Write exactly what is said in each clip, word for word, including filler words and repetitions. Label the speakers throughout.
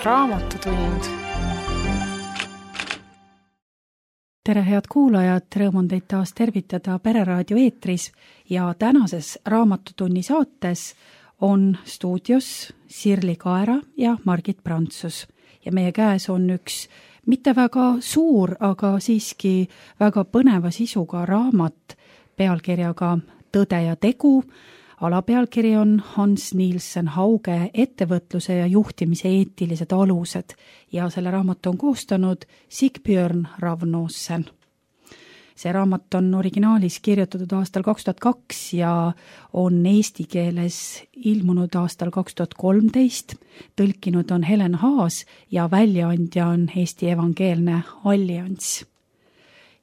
Speaker 1: Raamatutund.
Speaker 2: Tere, head kuulajad, rõõm on teid taas tervitada Pereraadio eetris ja tänases Raamatutunni saates on stuudios Sirli Kaera ja Margit Prantsus. Ja meie käes on üks mitte väga suur, aga siiski väga põneva sisuga raamat pealkirjaga Tõde ja tegu. Alapealkiri on Hans Nielsen Hauge ettevõtluse ja juhtimise eetilised alused ja selle raamatu on koostanud Sigbjörn Ravnosen. See raamat on originaalis kirjutatud aastal kaks tuhat kaks ja on eesti keeles ilmunud aastal kaks tuhat kolmteist. Tõlkinud on Helen Haas ja väljaandja on Eesti Evangeelne Allianss.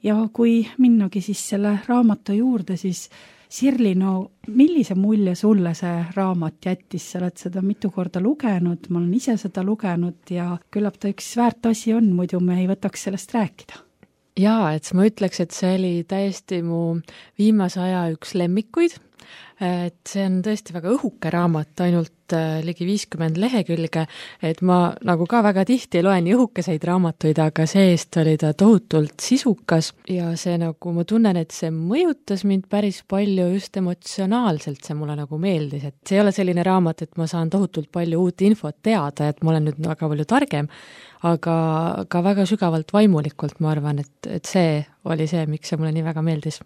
Speaker 2: Ja kui minnagi siis selle raamatu juurde, siis Sirli, no millise mulje sulle see raamat jättis? Sa oled seda mitu korda lugenud, ma olen ise seda lugenud ja küllap ta üks väärt asi on, muidu me ei võtaks sellest rääkida.
Speaker 3: Jaa, et ma ütleks, et see oli täiesti mu viimase aja üks lemmikuid. Et see on tõesti väga õhuke raamat, ainult ligi viiskümmend lehekülge, et ma nagu ka väga tihti loen õhukeseid raamatuid, aga seest oli ta tohutult sisukas ja see nagu ma tunnen, et see mõjutas mind päris palju just emotsionaalselt, see mulle nagu meeldis, et see ei ole selline raamat, et ma saan tohutult palju uut infot teada, et ma olen nüüd väga palju targem, aga ka väga sügavalt vaimulikult ma arvan, et, et see oli see, miks see mulle nii väga meeldis.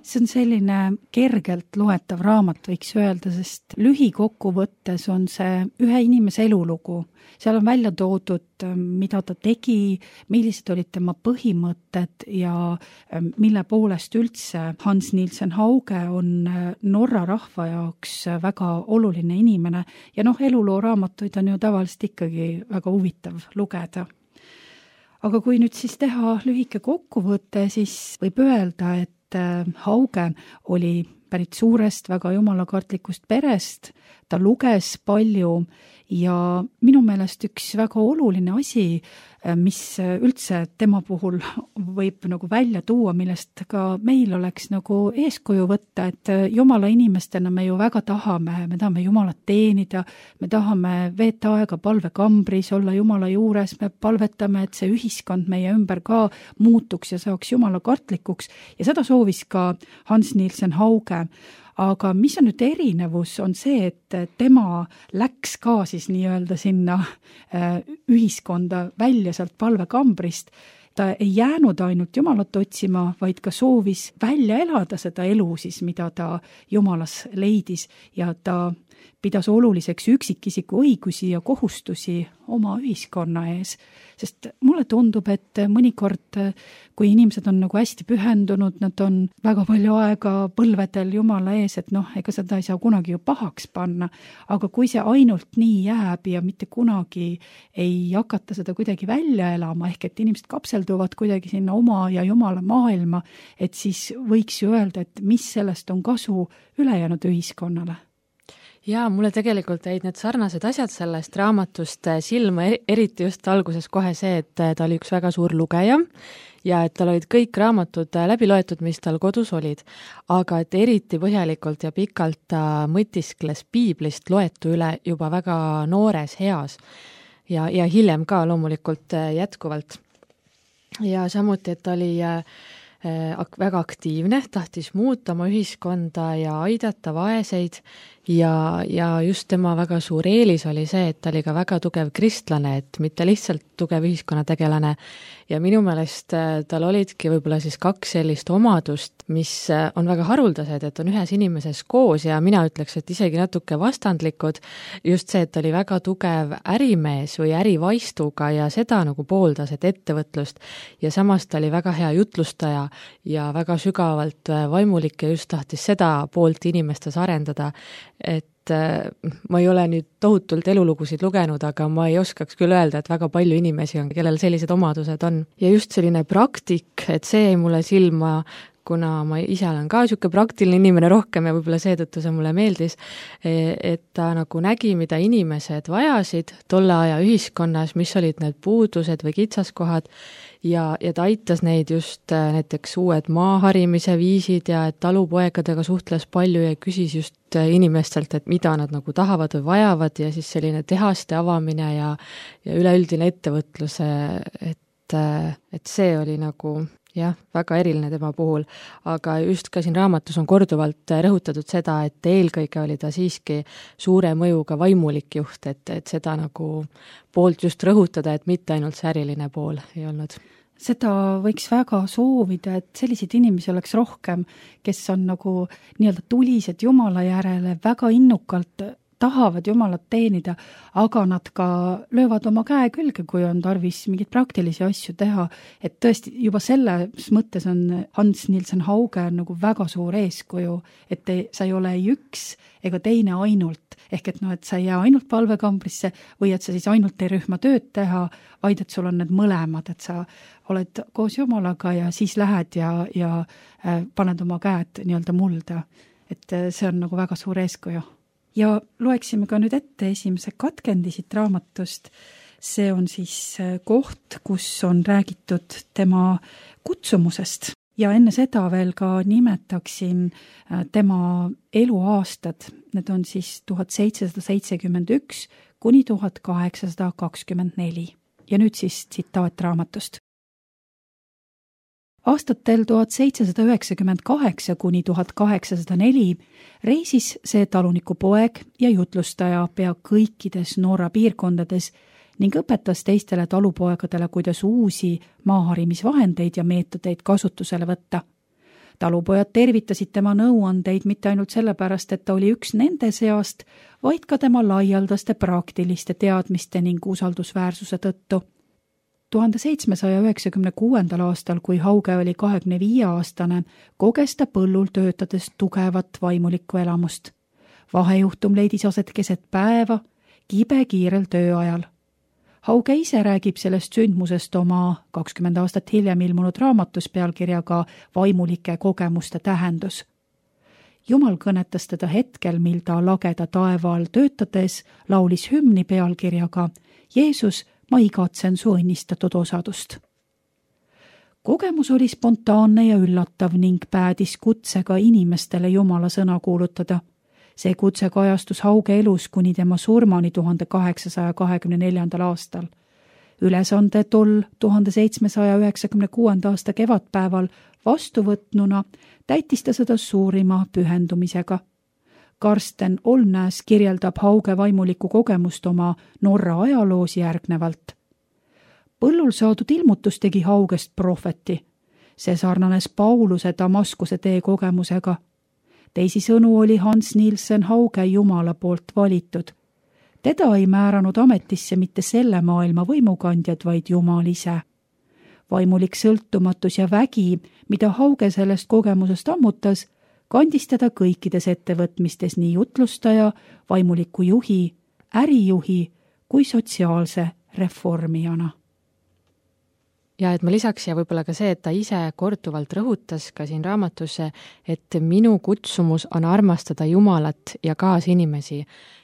Speaker 2: See on selline kergelt loetav raamat, võiks öelda, sest lühikokkuvõttes on see ühe inimese elulugu. Seal on välja toodud, mida ta tegi, millised olid tema põhimõtted ja mille poolest üldse Hans Nielsen Hauge on Norra rahva jaoks väga oluline inimene. Ja noh, eluloo raamatuid on ju tavaliselt ikkagi väga huvitav lugeda. Aga kui nüüd siis teha lühike kokkuvõte, siis võib öelda, et Hauge oli pärit suurest, väga jumalakartlikust perest, ta luges palju ja minu meelest üks väga oluline asi, mis üldse tema puhul võib nagu välja tuua, millest ka meil oleks nagu eeskuju võtta, et jumala inimestena me ju väga tahame, me tahame jumalat teenida, me tahame veeta aega palvekambris, olla jumala juures, me palvetame, et see ühiskond meie ümber ka muutuks ja saaks jumala kartlikuks ja seda soovis ka Hans Nielsen Hauge. Aga mis on nüüd erinevus, on see, et tema läks ka siis nii-öelda sinna ühiskonda välja sealt palvekambrist. Ta ei jäänud ainult jumalat otsima, vaid ka soovis välja elada seda elu siis, mida ta jumalas leidis ja ta pidas oluliseks üksikisiku õigusi ja kohustusi oma ühiskonna ees. Sest mulle tundub, et mõnikord, kui inimesed on nagu hästi pühendunud, nad on väga palju aega põlvedel jumala ees, et noh, ega seda ei saa kunagi ju pahaks panna. Aga kui see ainult nii jääb ja mitte kunagi ei hakata seda kuidagi välja elama, ehk et inimesed kapselduvad kuidagi sinna oma ja jumala maailma, et siis võiks ju öelda, et mis sellest on kasu ülejäänud ühiskonnale.
Speaker 3: Jaa, mulle tegelikult jäid need sarnased asjad sellest raamatust silma, eriti just alguses kohe see, et ta oli üks väga suur lugeja ja et tal olid kõik raamatud läbi loetud, mis tal kodus olid. Aga et eriti põhjalikult ja pikalt ta mõtiskles piiblist loetu üle juba väga noores heas ja, ja hiljem ka loomulikult jätkuvalt. Ja samuti, et ta oli väga aktiivne, tahtis muuta oma ühiskonda ja aidata vaeseid ja, ja just tema väga suur eelis oli see, et ta oli ka väga tugev kristlane, et mitte lihtsalt tugev ühiskonnategelane ja minu meelest tal olidki võib-olla siis kaks sellist omadust, mis on väga haruldased, et on ühes inimeses koos ja mina ütleks, et isegi natuke vastandlikud, just see, et ta oli väga tugev ärimees või ärivaistuga ja seda nagu pooldas, et ettevõtlust ja samas ta oli väga hea jutlustaja ja väga sügavalt vaimulik ja just tahtis seda poolt inimestes arendada, et ma ei ole nüüd tohutult elulugusid lugenud, aga ma ei oskaks küll öelda, et väga palju inimesi on, kellel sellised omadused on. Ja just selline praktik, et see jäi mulle silma kuna ma ise olen ka niisugune praktiline inimene rohkem ja võib-olla seetõttu see mulle meeldis, et ta nagu nägi, mida inimesed vajasid tolle aja ühiskonnas, mis olid need puudused või kitsaskohad, ja, ja ta aitas neid just näiteks uued maaharimise viisid ja et talupoegadega suhtles palju ja küsis just inimestelt, et mida nad nagu tahavad või vajavad ja siis selline tehaste avamine ja, ja üleüldine ettevõtluse, et, et see oli nagu jah, väga eriline tema puhul, aga just ka siin raamatus on korduvalt rõhutatud seda, et eelkõige oli ta siiski suure mõjuga vaimulik juht, et, et seda nagu poolt just rõhutada, et mitte ainult see äriline pool ei olnud.
Speaker 2: Seda võiks väga soovida, et selliseid inimesi oleks rohkem, kes on nagu nii-öelda tulised Jumala järele, väga innukalt tahavad Jumalat teenida, aga nad ka löövad oma käe külge, kui on tarvis mingeid praktilisi asju teha. Et tõesti juba selles mõttes on Hans Nielsen Hauge nagu väga suur eeskuju, et te, sa ei ole ei üks ega teine ainult, ehk et no, et sa ei jää ainult palvekambrisse või et sa siis ainult ei rühma tööd teha, vaid et sul on need mõlemad, et sa oled koos Jumalaga ja siis lähed ja, ja äh, paned oma käed nii-öelda mulda. Et see on nagu väga suur eeskuju. Ja loeksime ka nüüd ette esimese katkendi siit raamatust. See on siis koht, kus on räägitud tema kutsumusest. Ja enne seda veel ka nimetaksin tema eluaastad. Need on siis tuhat seitsesada seitsekümmend üks kuni tuhat kaheksasada kakskümmend neli. Ja nüüd siis tsitaat raamatust. Aastatel tuhat seitsesada üheksakümmend kaheksa kuni tuhat kaheksasada neli reisis see taluniku poeg ja jutlustaja pea kõikides Norra piirkondades ning õpetas teistele talupoegadele, kuidas uusi maaharimisvahendeid ja meetodeid kasutusele võtta. Talupojad tervitasid tema nõuandeid mitte ainult sellepärast, et ta oli üks nende seast, vaid ka tema laialdaste praktiliste teadmiste ning usaldusväärsuse tõttu. tuhande seitsmesaja üheksakümne kuuendal aastal, kui Hauge oli kahekümne viie aastane, koges ta põllul töötades tugevat vaimulikku elamust. Vahejuhtum leidis aset keset päeva, kibe kiirel tööajal. Hauge ise räägib sellest sündmusest oma kakskümmend aastat hiljem ilmunud raamatus pealkirjaga Vaimulike kogemuste tähendus. Jumal kõnetas teda hetkel, mil ta lageda taeva all töötades laulis hümni pealkirjaga Jeesus, ma igatsen su õnnistatud osadust. Kogemus oli spontaanne ja üllatav ning päädis kutsega inimestele Jumala sõna kuulutada. See kutse kajastus Hauge elus kuni tema surmani tuhande kaheksasaja kahekümne neljandal aastal. Ülesande tol tuhande seitsmesaja üheksakümne kuuenda aasta kevadpäeval vastuvõtnuna täitis ta seda suurima pühendumisega. Karsten Olnäs kirjeldab Hauge vaimulikku kogemust oma Norra ajaloos järgnevalt. Põllul saadud ilmutus tegi Haugest prohveti. See sarnanes Pauluse Damaskuse tee kogemusega. Teisisõnu oli Hans Nielsen Hauge Jumala poolt valitud. Teda ei määranud ametisse mitte selle maailma võimukandjad, vaid Jumal ise. Vaimulik sõltumatus ja vägi, mida Hauge sellest kogemusest ammutas, kandis teda kõikides ettevõtmistes nii jutlustaja, vaimuliku juhi, ärijuhi kui sotsiaalse reformijana.
Speaker 3: Ja et ma lisaks ja võib-olla ka see, et ta ise korduvalt rõhutas ka siin raamatusse, et minu kutsumus on armastada Jumalat ja kaasinimesi.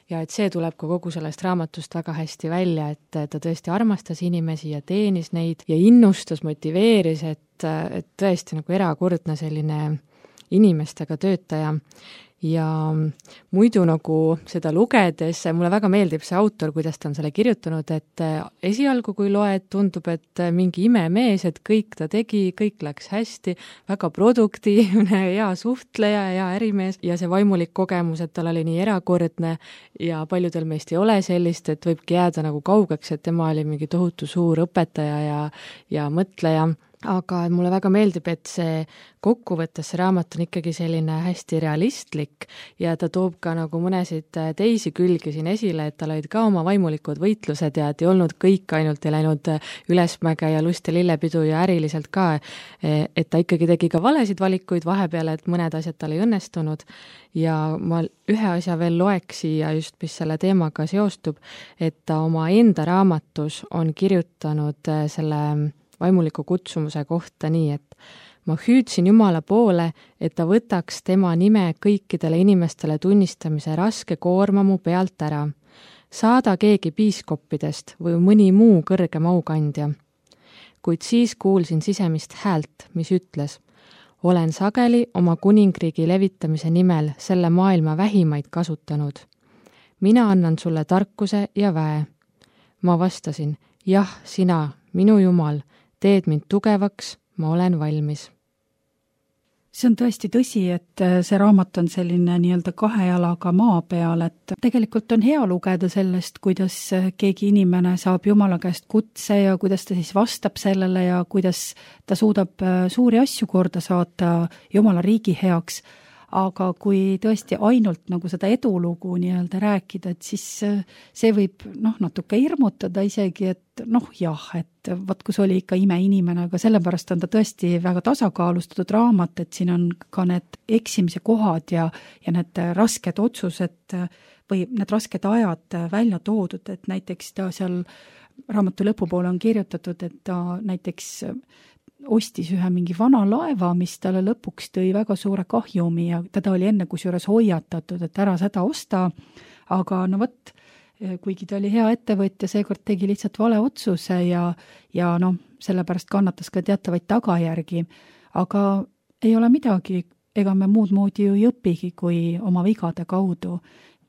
Speaker 3: Ja et see tuleb ka kogu sellest raamatust väga hästi välja, et ta tõesti armastas inimesi ja teenis neid ja innustas, motiveeris, et, et tõesti nagu erakordne selline inimestega töötaja. Ja muidu nagu seda lugedes, mulle väga meeldib see autor, kuidas ta on selle kirjutanud, et esialgu kui loed, tundub, et mingi imemees, et kõik ta tegi, kõik läks hästi, väga produktiivne, hea suhtleja, hea ärimees ja see vaimulik kogemus, et tal oli nii erakordne ja paljudel meist ei ole sellist, et võibki jääda nagu kaugeks, et tema oli mingi tohutu suur õpetaja ja, ja mõtleja. Aga mulle väga meeldib, et see kokkuvõttes see raamat on ikkagi selline hästi realistlik ja ta toob ka nagu mõnesid teisi külgi siin esile, et tal olid ka oma vaimulikud võitlused ja et ei olnud kõik ainult ei läinud ülesmäge ja lust ja lillepidu ja äriliselt ka, et ta ikkagi tegi ka valesid valikuid vahepeal, et mõned asjad tal ei õnnestunud ja ma ühe asja veel loeks siia just, mis selle teemaga seostub, et ta oma enda raamatus on kirjutanud selle vaimuliku kutsumuse kohta nii, et ma hüüdsin Jumala poole, et ta võtaks tema nime kõikidele inimestele tunnistamise raske koorma mu pealt ära. Saada keegi piiskoppidest või mõni muu kõrgem aukandja. Kuid siis kuulsin sisemist häält, mis ütles, olen sageli oma kuningriigi levitamise nimel selle maailma vähimaid kasutanud. Mina annan sulle tarkuse ja väe. Ma vastasin, jah, sina, minu Jumal, teed mind tugevaks, ma olen valmis.
Speaker 2: See on tõesti tõsi, et see raamat on selline nii-öelda kahe jalaga maa peal, et tegelikult on hea lugeda sellest, kuidas keegi inimene saab Jumala käest kutse ja kuidas ta siis vastab sellele ja kuidas ta suudab suuri asju korda saata Jumala riigi heaks. Aga kui tõesti ainult nagu seda edulugu nii-öelda rääkida, et siis see võib noh, natuke hirmutada isegi, et noh jah, et vaat kus oli ikka imeinimene, aga sellepärast on ta tõesti väga tasakaalustatud raamat, et siin on ka need eksimise kohad ja, ja need rasked otsused või need rasked ajad välja toodud, et näiteks ta seal raamatu lõpupoole on kirjutatud, et ta näiteks ostis ühe mingi vana laeva, mis talle lõpuks tõi väga suure kahjumi ja teda oli enne kusjuures hoiatatud, et ära seda osta, aga no võt, kuigi ta oli hea ettevõtja, seekord tegi lihtsalt vale otsuse ja, ja noh, sellepärast kannatas ka teatavaid tagajärgi, aga ei ole midagi, ega me muud moodi ju ei õpigi kui oma vigade kaudu.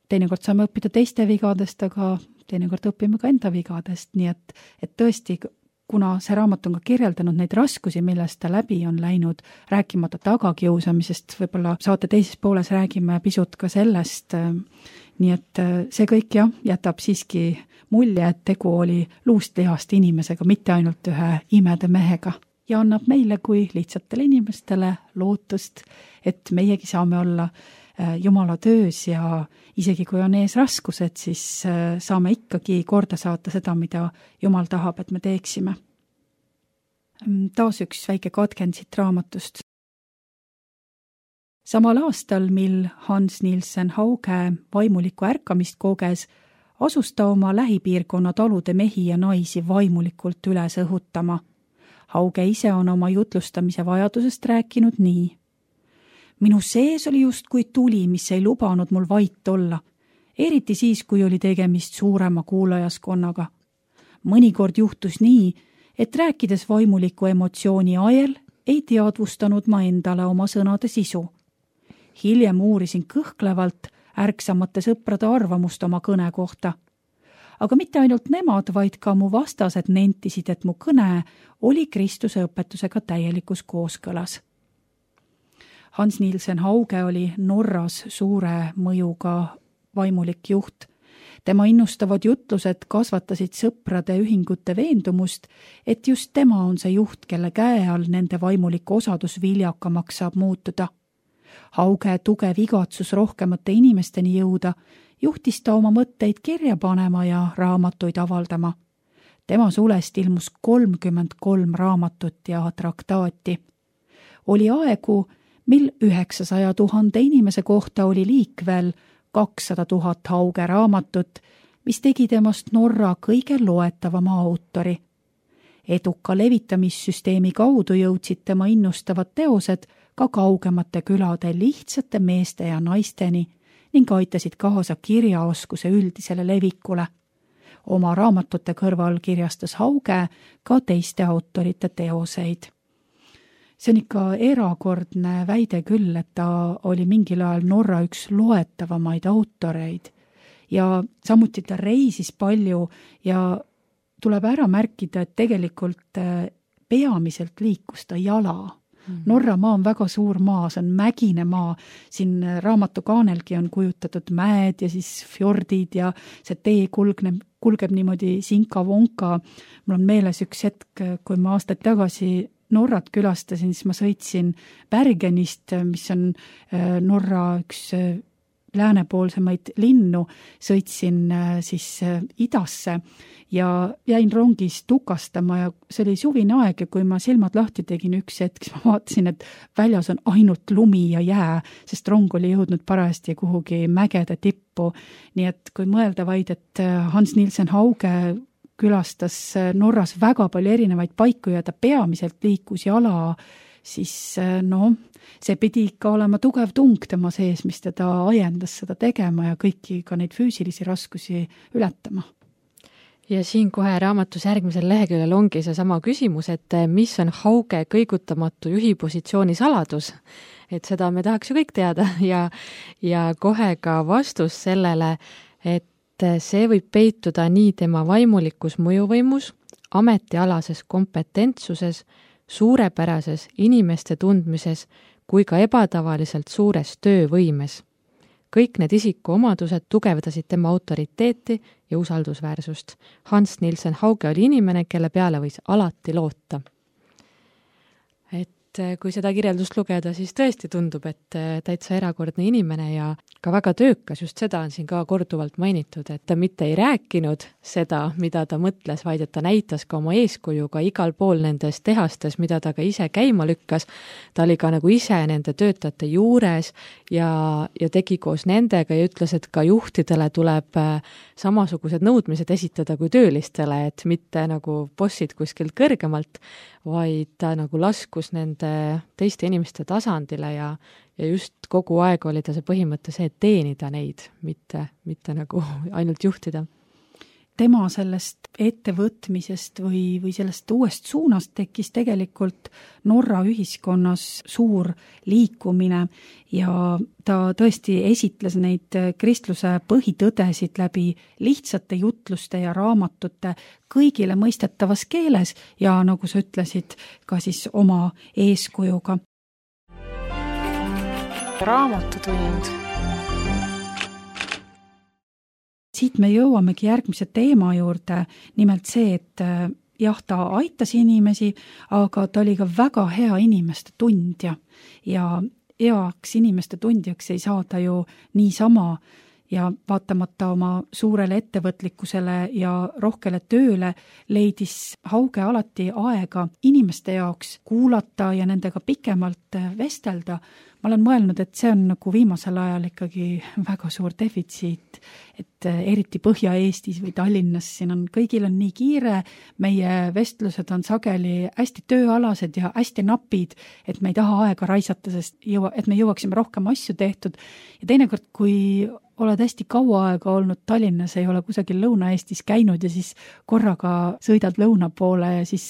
Speaker 2: Teinekord saame õppida teiste vigadest, aga teinekord õpime ka enda vigadest, nii et, et tõesti kuna see raamat on ka kirjeldanud neid raskusi, millest ta läbi on läinud, rääkimata tagakiusamisest, võib-olla saate teises pooles räägime pisut ka sellest, nii et see kõik jah, jätab siiski mulje, et tegu oli luust lihast inimesega, mitte ainult ühe imede mehega ja annab meile kui lihtsatele inimestele lootust, et meiegi saame olla Jumala töös ja isegi kui on ees raskused, siis saame ikkagi korda saata seda, mida Jumal tahab, et me teeksime. Taas üks väike katkend siit raamatust. Samal aastal, mil Hans Nielsen Hauge vaimulikku ärkamist koges, asus ta oma lähipiirkonna talude mehi ja naisi vaimulikult üles õhutama. Hauge ise on oma jutlustamise vajadusest rääkinud nii. Minu sees oli just kui tuli, mis ei lubanud mul vait olla, eriti siis, kui oli tegemist suurema kuulajaskonnaga. Mõnikord juhtus nii, et rääkides vaimuliku emotsiooni ajel, ei teadvustanud ma endale oma sõnade sisu. Hiljem uurisin kõhklevalt ärksamate sõprade arvamust oma kõne kohta. Aga mitte ainult nemad, vaid ka mu vastased nentisid, et mu kõne oli Kristuse õpetusega täielikus kooskõlas. Hans Nielsen Hauge oli Norras suure mõjuga vaimulik juht. Tema innustavad jutlused kasvatasid sõprade ühingute veendumust, et just tema on see juht, kelle käe all nende vaimulik osadus viljakamaks saab muutuda. Hauge tugev igatsus rohkemate inimesteni jõuda, juhtis ta oma mõtteid kirja panema ja raamatuid avaldama. Tema sulest ilmus kolmkümmend kolm raamatut ja traktaati. Oli aegu, mil üheksasaja tuhande inimese kohta oli liikvel kakssada tuhat Hauge raamatut, mis tegi temast Norra kõige loetavama autori. Eduka levitamissüsteemi kaudu jõudsid tema innustavad teosed ka kaugemate külade lihtsate meeste ja naisteni ning aitasid kaasa kirjaoskuse üldisele levikule. Oma raamatute kõrval kirjastas Hauge ka teiste autorite teoseid. See on ikka erakordne väide küll, et ta oli mingil ajal Norra üks loetavamaid autoreid ja samuti ta reisis palju ja tuleb ära märkida, et tegelikult peamiselt liikus ta jala. Mm-hmm. Norra maa on väga suur maa, see on mägine maa, siin raamatu kaanelgi on kujutatud mäed ja siis fjordid ja see tee kulgneb, kulgeb niimoodi sinka-vonka. Mul on meeles üks hetk, kui ma aastaid tagasi Norrat külastasin, siis ma sõitsin Bergenist, mis on Norra üks läänepoolsemaid linnu, sõitsin siis idasse ja jäin rongis tukastama ja see oli suvine aeg ja kui ma silmad lahti tegin üks hetk, siis ma vaatasin, et väljas on ainult lumi ja jää, sest rong oli jõudnud parajasti kuhugi mägede tippu. Nii et kui mõelda vaid, et Hans Nielsen Hauge külastas Norras väga palju erinevaid paiku ja ta peamiselt liikus jala, siis no, see pidi ikka olema tugev tung tema sees, mis teda ajendas seda tegema ja kõiki ka neid füüsilisi raskusi ületama.
Speaker 3: Ja siin kohe raamatus järgmisel leheküljel ongi see sama küsimus, et mis on Hauge kõigutamatu juhi positsiooni saladus? Et seda me tahaks ju kõik teada ja, ja kohe ka vastus sellele, et see võib peituda nii tema vaimulikus mõjuvõimus, ametialases kompetentsuses, suurepärases inimeste tundmises kui ka ebatavaliselt suures töövõimes. Kõik need isiku omadused tugevdasid tema autoriteeti ja usaldusväärsust. Hans Nielsen Hauge oli inimene, kelle peale võis alati loota. Et kui seda kirjeldust lugeda, siis tõesti tundub, et täitsa erakordne inimene ja ka väga töökas, just seda on siin ka korduvalt mainitud, et ta mitte ei rääkinud seda, mida ta mõtles, vaid et ta näitas ka oma eeskujuga igal pool nendes tehastes, mida ta ka ise käima lükkas. Ta oli ka nagu ise nende töötajate juures ja, ja tegi koos nendega ja ütles, et ka juhtidele tuleb samasugused nõudmised esitada kui töölistele, et mitte nagu bossid kuskilt kõrgemalt, vaid ta nagu laskus nende teiste inimeste tasandile ja Ja just kogu aeg oli ta see põhimõte see, et teenida neid, mitte, mitte nagu ainult juhtida.
Speaker 2: Tema sellest ettevõtmisest või, või sellest uuest suunast tekkis tegelikult Norra ühiskonnas suur liikumine ja ta tõesti esitles neid kristluse põhitõdesid läbi lihtsate jutluste ja raamatute kõigile mõistetavas keeles ja nagu sa ütlesid, ka siis oma eeskujuga.
Speaker 1: Raamatutund.
Speaker 2: Siit me jõuamegi järgmise teema juurde, nimelt see, et jah, ta aitas inimesi, aga ta oli ka väga hea inimeste tundja ja heaks inimeste tundjaks ei saa ta ju niisama ja vaatamata oma suurele ettevõtlikkusele ja rohkele tööle leidis Hauge alati aega inimeste jaoks kuulata ja nendega pikemalt vestelda. Ma olen mõelnud, et see on nagu viimasel ajal ikkagi väga suur defitsiit, et eriti Põhja-Eestis või Tallinnas siin on, kõigil on nii kiire, meie vestlused on sageli hästi tööalased ja hästi napid, et me ei taha aega raisata, sest jõua, et me jõuaksime rohkem asju tehtud. Ja teinekord, kui oled hästi kaua aega olnud Tallinnas, ei ole kusagil Lõuna-Eestis käinud ja siis korraga sõidad lõuna poole ja siis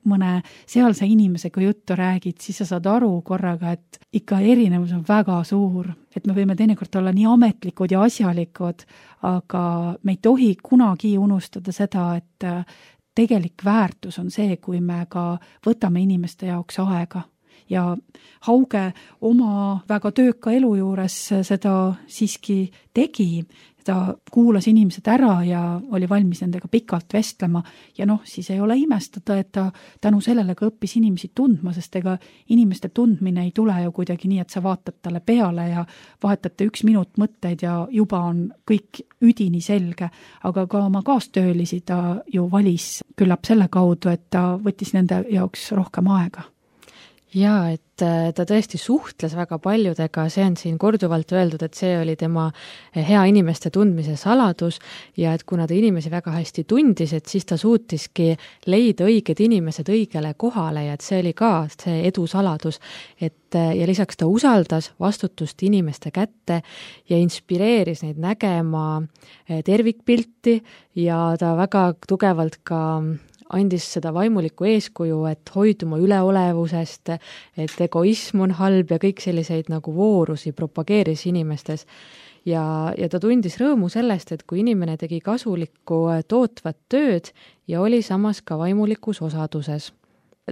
Speaker 2: mõne sealse inimesega juttu räägid, siis sa saad aru korraga, et ikka erinevus on väga suur, et me võime teinekord olla nii ametlikud ja asjalikud, aga me ei tohi kunagi unustada seda, et tegelik väärtus on see, kui me ka võtame inimeste jaoks aega. Ja Hauge oma väga tööka elu juures seda siiski tegi. Ta kuulas inimesed ära ja oli valmis nendega pikalt vestlema ja noh, siis ei ole imestada, et ta tänu sellele ka õppis inimesi tundma, sest ega inimeste tundmine ei tule ju kuidagi nii, et sa vaatad talle peale ja vahetate üks minut mõtteid ja juba on kõik üdini selge, aga ka oma kaastöölisi ta ju valis küllap selle kaudu, et ta võttis nende jaoks rohkem aega.
Speaker 3: Jaa, et ta tõesti suhtles väga paljudega, see on siin korduvalt öeldud, et see oli tema hea inimeste tundmise saladus ja et kuna ta inimesi väga hästi tundis, et siis ta suutiski leida õiged inimesed õigele kohale ja et see oli ka see edu saladus, et ja lisaks ta usaldas vastutust inimeste kätte ja inspireeris neid nägema tervikpilti ja ta väga tugevalt ka andis seda vaimulikku eeskuju, et hoiduma üleolevusest, et egoism on halb ja kõik selliseid nagu voorusi propageeris inimestes. Ja, ja ta tundis rõõmu sellest, et kui inimene tegi kasulikku tootvat tööd ja oli samas ka vaimulikus osaduses.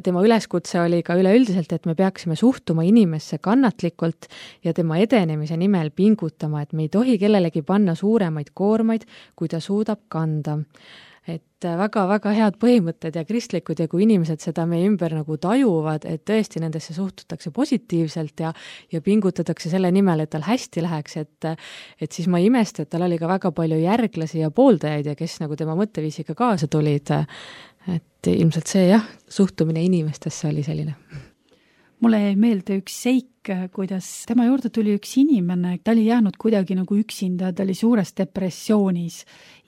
Speaker 3: Tema üleskutse oli ka üleüldiselt, et me peaksime suhtuma inimesse kannatlikult ja tema edenemise nimel pingutama, et me ei tohi kellelegi panna suuremaid koormaid, kui ta suudab kanda. Et väga-väga head põhimõtted ja kristlikud ja kui inimesed seda meie ümber nagu tajuvad, et tõesti nendesse suhtutakse positiivselt ja, ja pingutatakse selle nimel, et tal hästi läheks, et, et siis ma ei imesta, et tal oli ka väga palju järglasi ja pooldajaid ja kes nagu tema mõtteviisiga kaasa tulid. Et ilmselt see jah, suhtumine inimestesse oli selline.
Speaker 2: Mulle jäi meelde üks seik, kuidas tema juurde tuli üks inimene, ta oli jäänud kuidagi nagu üksinda, ta oli suures depressioonis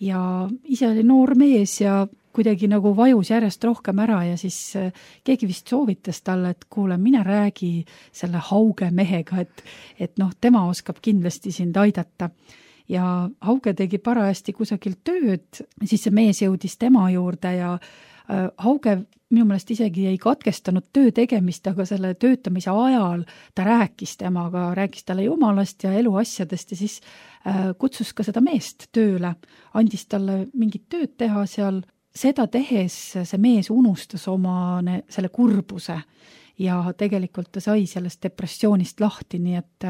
Speaker 2: ja ise oli noor mees ja kuidagi nagu vajus järjest rohkem ära ja siis keegi vist soovitas talle, et kuule, mine räägi selle Hauge mehega, et, et noh, tema oskab kindlasti sind aidata. Ja Hauge tegi parajasti kusagil tööd, siis see mees jõudis tema juurde ja Hauge minu meelest isegi ei katkestanud töö tegemist, aga selle töötamise ajal ta rääkis temaga, rääkis talle jumalast ja eluasjadest ja siis kutsus ka seda meest tööle, andis talle mingit tööd teha seal. Seda tehes see mees unustas oma ne, selle kurbuse ja tegelikult ta sai sellest depressioonist lahti, nii et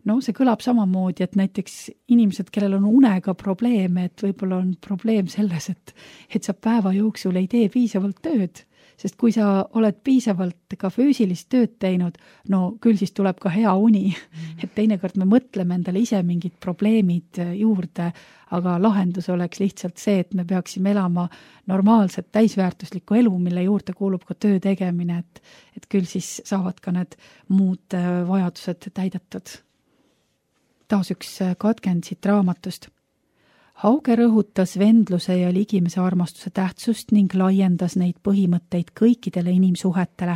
Speaker 2: no see kõlab samamoodi, et näiteks inimesed, kellel on unega probleeme, et võib-olla on probleem selles, et, et sa päeva jooksul ei tee piisavalt tööd, sest kui sa oled piisavalt ka füüsilist tööd teinud, no küll siis tuleb ka hea uni, et teinekord me mõtleme endale ise mingid probleemid juurde, aga lahendus oleks lihtsalt see, et me peaksime elama normaalset täisväärtuslikku elu, mille juurde kuulub ka töö tegemine, et, et küll siis saavad ka need muud vajadused täidetud. Taas üks katkend siit raamatust. Hauge rõhutas vendluse ja ligimese armastuse tähtsust ning laiendas neid põhimõtteid kõikidele inimsuhetele.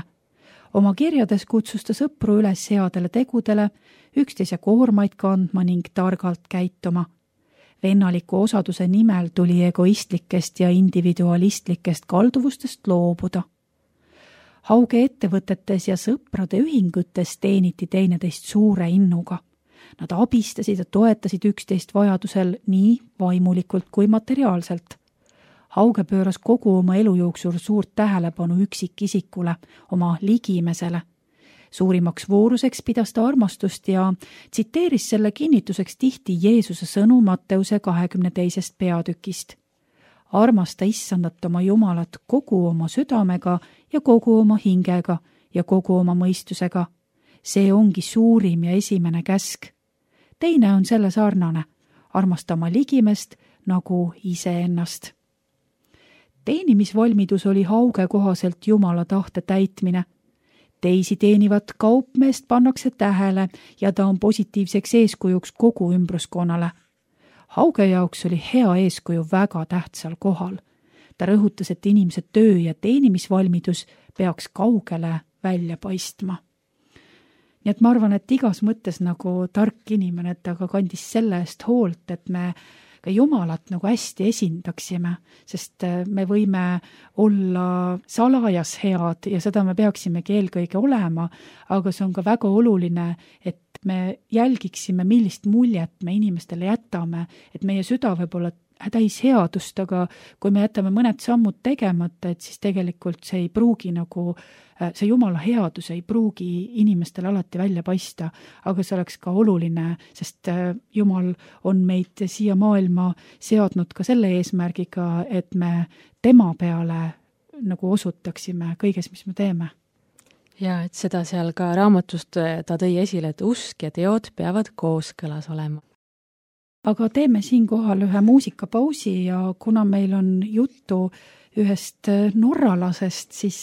Speaker 2: Oma kirjades kutsus ta sõpru üles headele tegudele, üksteise koormaid kandma ning targalt käituma. Vennaliku osaduse nimel tuli egoistlikest ja individualistlikest kalduvustest loobuda. Hauge ettevõtetes ja sõprade ühingutes teeniti teineteist suure innuga. Nad abistasid ja toetasid üksteist vajadusel nii vaimulikult kui materiaalselt. Hauge pööras kogu oma elu jooksul suurt tähelepanu üksikisikule, oma ligimesele. Suurimaks vooruseks pidas ta armastust ja tsiteeris selle kinnituseks tihti Jeesuse sõnu Matteuse kahekümne teisest peatükist. Armasta issandat oma Jumalat kogu oma südamega ja kogu oma hingega ja kogu oma mõistusega. See ongi suurim ja esimene käsk. Teine on selle sarnane, armasta oma ligimest nagu iseennast. Teenimisvalmidus oli Hauge kohaselt Jumala tahte täitmine. Teisi teenivat kaupmeest pannakse tähele ja ta on positiivseks eeskujuks kogu ümbruskonnale. Hauge jaoks oli hea eeskuju väga tähtsal kohal. Ta rõhutas, et inimese töö ja teenimisvalmidus peaks kaugele välja paistma. Nii et ma arvan, et igas mõttes nagu tark inimene, et ta ka kandis selle eest hoolt, et me ka Jumalat nagu hästi esindaksime, sest me võime olla salajas head ja seda me peaksimegi eelkõige olema, aga see on ka väga oluline, et me jälgiksime, millist muljet me inimestele jätame, et meie süda võib olla täis headust, aga kui me jätame mõned sammud tegemata, et siis tegelikult see ei pruugi nagu, see Jumala headus ei pruugi inimestele alati välja paista, aga see oleks ka oluline, sest Jumal on meid siia maailma seadnud ka selle eesmärgiga, et me tema peale nagu osutaksime kõiges, mis me teeme.
Speaker 3: Ja et seda seal ka raamatust ta tõi esile, et usk ja teod peavad kooskõlas olema.
Speaker 2: Aga teeme siinkohal ühe muusikapausi ja kuna meil on juttu ühest norralasest, siis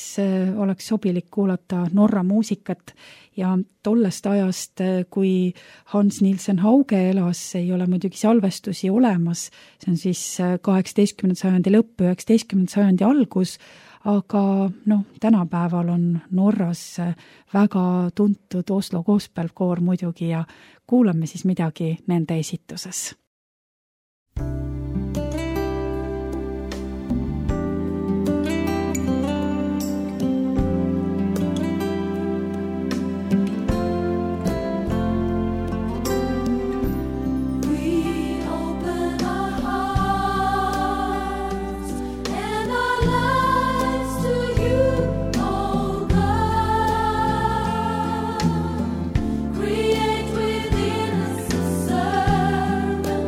Speaker 2: oleks sobilik kuulata Norra muusikat ja tollest ajast, kui Hans Nielsen Hauge elas, ei ole muidugi salvestusi olemas, see on siis kaheksateistkümnenda sajandi lõpp, üheksateistkümnenda sajandi algus, aga noh, tänapäeval on Norras väga tuntud Oslo gospelkoor muidugi ja kuulame siis midagi nende esituses.
Speaker 1: Create within us a servant.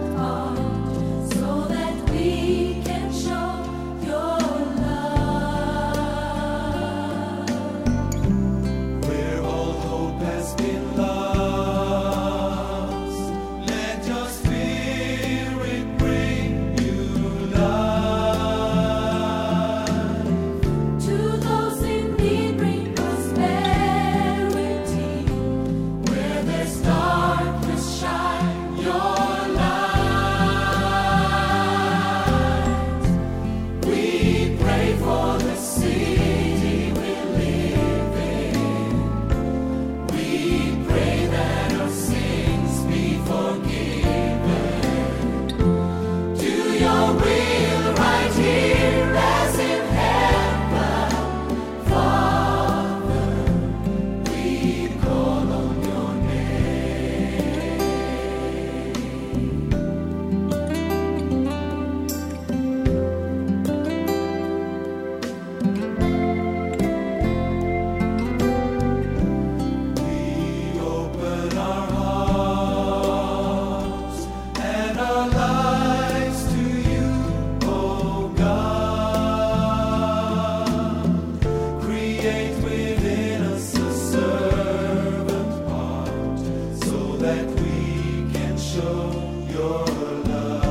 Speaker 1: create within us a servant heart so that we can show your love.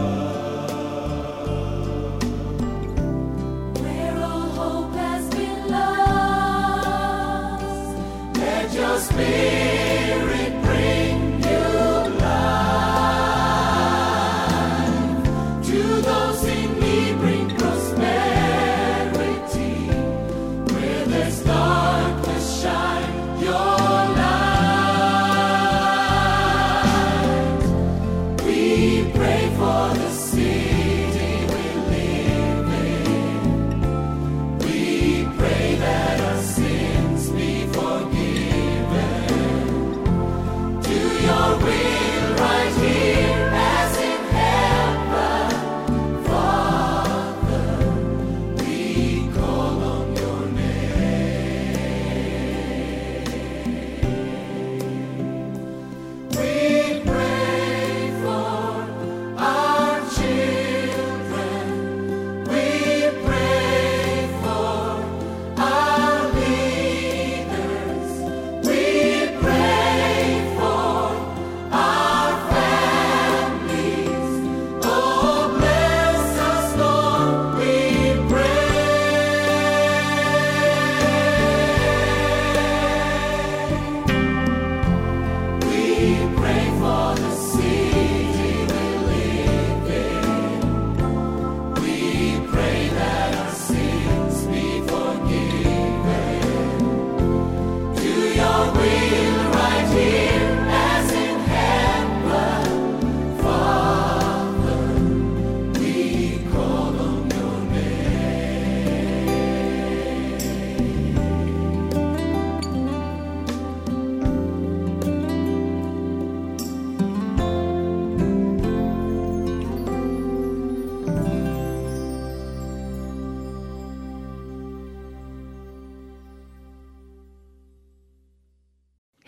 Speaker 4: Where all hope has been lost, let your spirit bring new life. To those in need bring prosperity. Where there's darkness, shine your light. We pray for the city we live in. We pray that our sins be forgiven. Do your will right here as in heaven. Father, we call on your name. We pray for our children. We pray for our leaders. We pray for our families. Oh, bless us, Lord, we pray. We pray for the city we live in. We pray that our sins be forgiven. Do your will right here as in heaven. Father, we call on your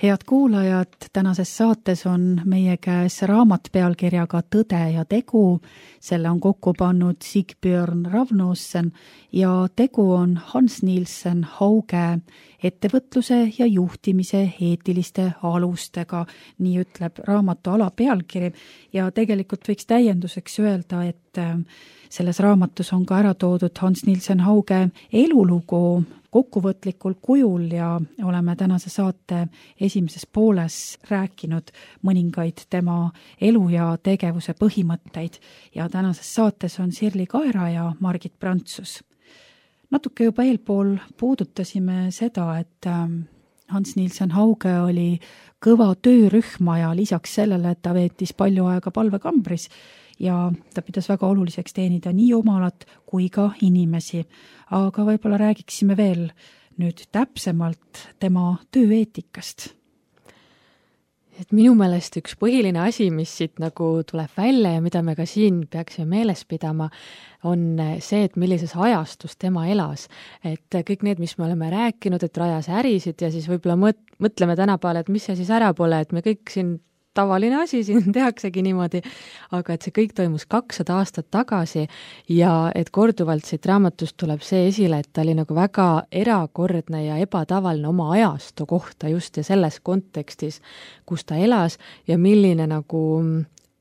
Speaker 2: head kuulajad, tänases saates on meie käes raamat pealkirjaga Tõde ja tegu. Selle on kokku pannud Sigbjørn Ravnossen ja tegu on Hans Nielsen Hauge ettevõtluse ja juhtimise eetiliste alustega, nii ütleb raamatu alapealkiri. Ja tegelikult võiks täienduseks öelda, et selles raamatus on ka ära toodud Hans Nielsen Hauge elulugu kokkuvõtlikul kujul ja oleme tänase saate esimeses pooles rääkinud mõningaid tema elu ja tegevuse põhimõtteid ja tänases saates on Sirli Kaera ja Margit Prantsus. Natuke juba eelpool puudutasime seda, et Hans Nielsen Hauge oli kõva töörühma ja lisaks sellele, et ta veetis palju aega palvekambris ja ta pidas väga oluliseks teenida nii jumalat kui ka inimesi. Aga võib-olla räägiksime veel nüüd täpsemalt tema tööeetikast.
Speaker 3: Et minu meelest üks põhiline asi, mis siit nagu tuleb välja ja mida me ka siin peaksime meeles pidama, on see, et millises ajastus tema elas. Et kõik need, mis me oleme rääkinud, et rajas ärisid ja siis võib-olla mõt- mõtleme tänapäeval, et mis see siis ära pole, et me kõik siin tavaline asi siin tehaksegi niimoodi, aga et see kõik toimus kakssada aastat tagasi ja et korduvalt siit raamatust tuleb see esile, et ta oli nagu väga erakordne ja ebatavaline oma ajastu kohta just ja selles kontekstis, kus ta elas ja milline nagu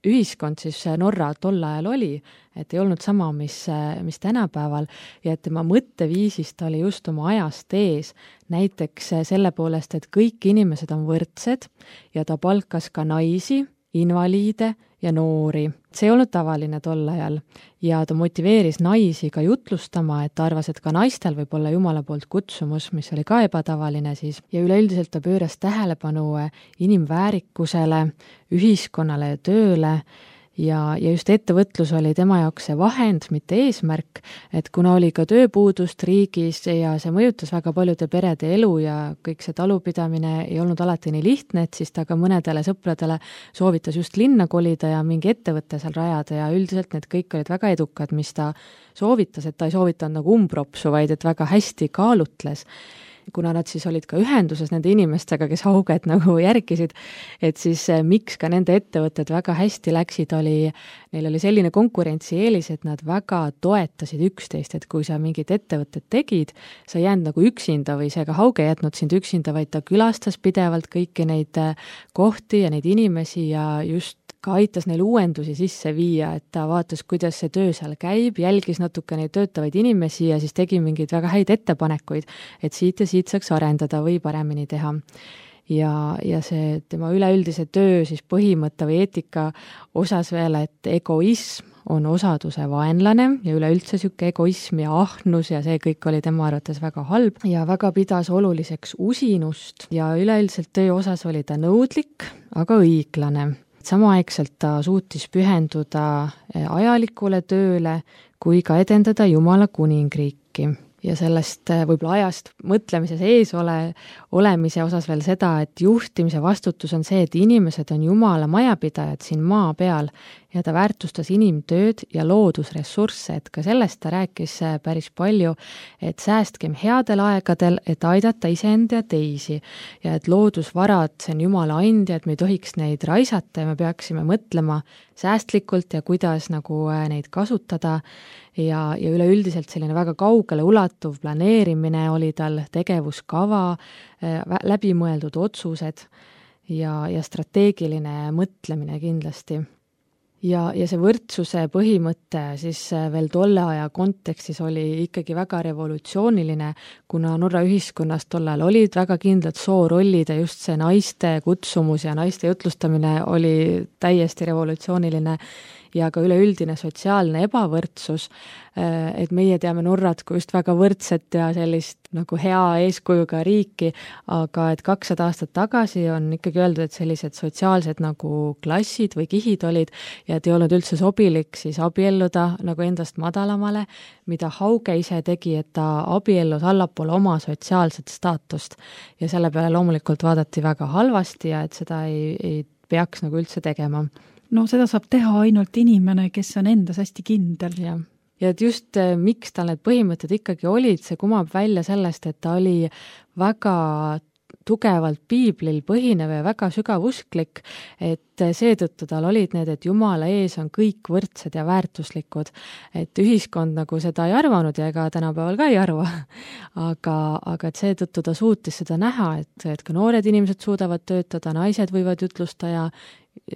Speaker 3: ühiskond siis Norra tol ajal oli, et ei olnud sama, mis, mis tänapäeval ja et tema mõtteviisist oli just oma ajast ees, näiteks selle poolest, et kõik inimesed on võrdsed ja ta palkas ka naisi, invaliide ja noori. See ei olnud tavaline tol ajal ja ta motiveeris naisi ka jutlustama, et ta arvas, et ka naistel võib olla Jumala poolt kutsumus, mis oli ka ebatavaline siis ja üleüldiselt ta pööras tähelepanu inimväärikusele, ühiskonnale ja tööle ja, ja just ettevõtlus oli tema jaoks see vahend, mitte eesmärk, et kuna oli ka tööpuudust riigis ja see mõjutas väga paljude perede elu ja kõik see talupidamine ei olnud alati nii lihtne, et siis ta ka mõnedele sõpradele soovitas just linna kolida ja mingi ettevõtte seal rajada ja üldiselt need kõik olid väga edukad, mis ta soovitas, et ta ei soovitanud nagu umbropsu, vaid et väga hästi kaalutles. kuna nad siis olid ka ühenduses nende inimestega, kes Hauget nagu järgisid, et siis miks ka nende ettevõtted väga hästi läksid, oli, neil oli selline konkurentsieelis, et nad väga toetasid üksteist, et kui sa mingid ettevõtted tegid, sa ei jäänud nagu üksinda või see ka Hauge jätnud sind üksinda, vaid ta külastas pidevalt kõiki neid kohti ja neid inimesi ja just ka aitas neil uuendusi sisse viia, et ta vaatas, kuidas see töö seal käib, jälgis natuke neid töötavaid inimesi ja siis tegi mingeid väga häid ettepanekuid, et siit ja siit saaks arendada või paremini teha. Ja, ja see tema üleüldise töö siis põhimõtte või eetika osas veel, et egoism on osaduse vaenlane ja üleüldse niisugune egoism ja ahnus ja see kõik oli tema arvates väga halb ja väga pidas oluliseks usinust ja üleüldiselt töö osas oli ta nõudlik, aga õiglane. Samaaegselt ta suutis pühenduda ajalikule tööle kui ka edendada Jumala kuningriiki. Ja sellest võib-olla ajast mõtlemises ees ole, olemise osas veel seda, et juhtimise vastutus on see, et inimesed on Jumala majapidajad siin maa peal ja ta väärtustas inimtööd ja loodusressursse, et ka sellest ta rääkis päris palju, et säästkem headel aegadel, et aidata iseenda ja teisi ja et loodusvarad, see on Jumala andja, et me ei tohiks neid raisata ja me peaksime mõtlema säästlikult ja kuidas nagu neid kasutada ja, ja üleüldiselt selline väga kaugele ulatuv planeerimine oli tal, tegevuskava, läbimõeldud otsused ja, ja strateegiline mõtlemine kindlasti. Ja, ja see võrdsuse põhimõte siis veel tolle aja kontekstis oli ikkagi väga revolutsiooniline, kuna Norra ühiskonnas tollal olid väga kindlad soorollid ja just see naiste kutsumus ja naiste jutlustamine oli täiesti revolutsiooniline ja ka üleüldine sotsiaalne ebavõrdsus, et meie teame Norrat kui just väga võrdset ja sellist nagu hea eeskujuga riiki, aga et kakssada aastat tagasi on ikkagi öeldud, et sellised sotsiaalsed nagu klassid või kihid olid ja et ei olnud üldse sobilik siis abielluda nagu endast madalamale, mida Hauge ise tegi, et ta abiellus allapoole oma sotsiaalset staatust ja selle peale loomulikult vaadati väga halvasti ja et seda ei, ei peaks nagu üldse tegema.
Speaker 2: No seda saab teha ainult inimene, kes on endas hästi kindel.
Speaker 3: Ja, ja et just miks tal need põhimõtted ikkagi olid, see kumab välja sellest, et ta oli väga tugevalt piiblil põhinev ja väga sügavusklik, et seetõttu tal olid need, et Jumala ees on kõik võrdsed ja väärtuslikud, et ühiskond nagu seda ei arvanud ja ega tänapäeval ka ei arva, aga, aga et seetõttu ta suutis seda näha, et, et ka noored inimesed suudavad töötada, naised võivad jutlusta ja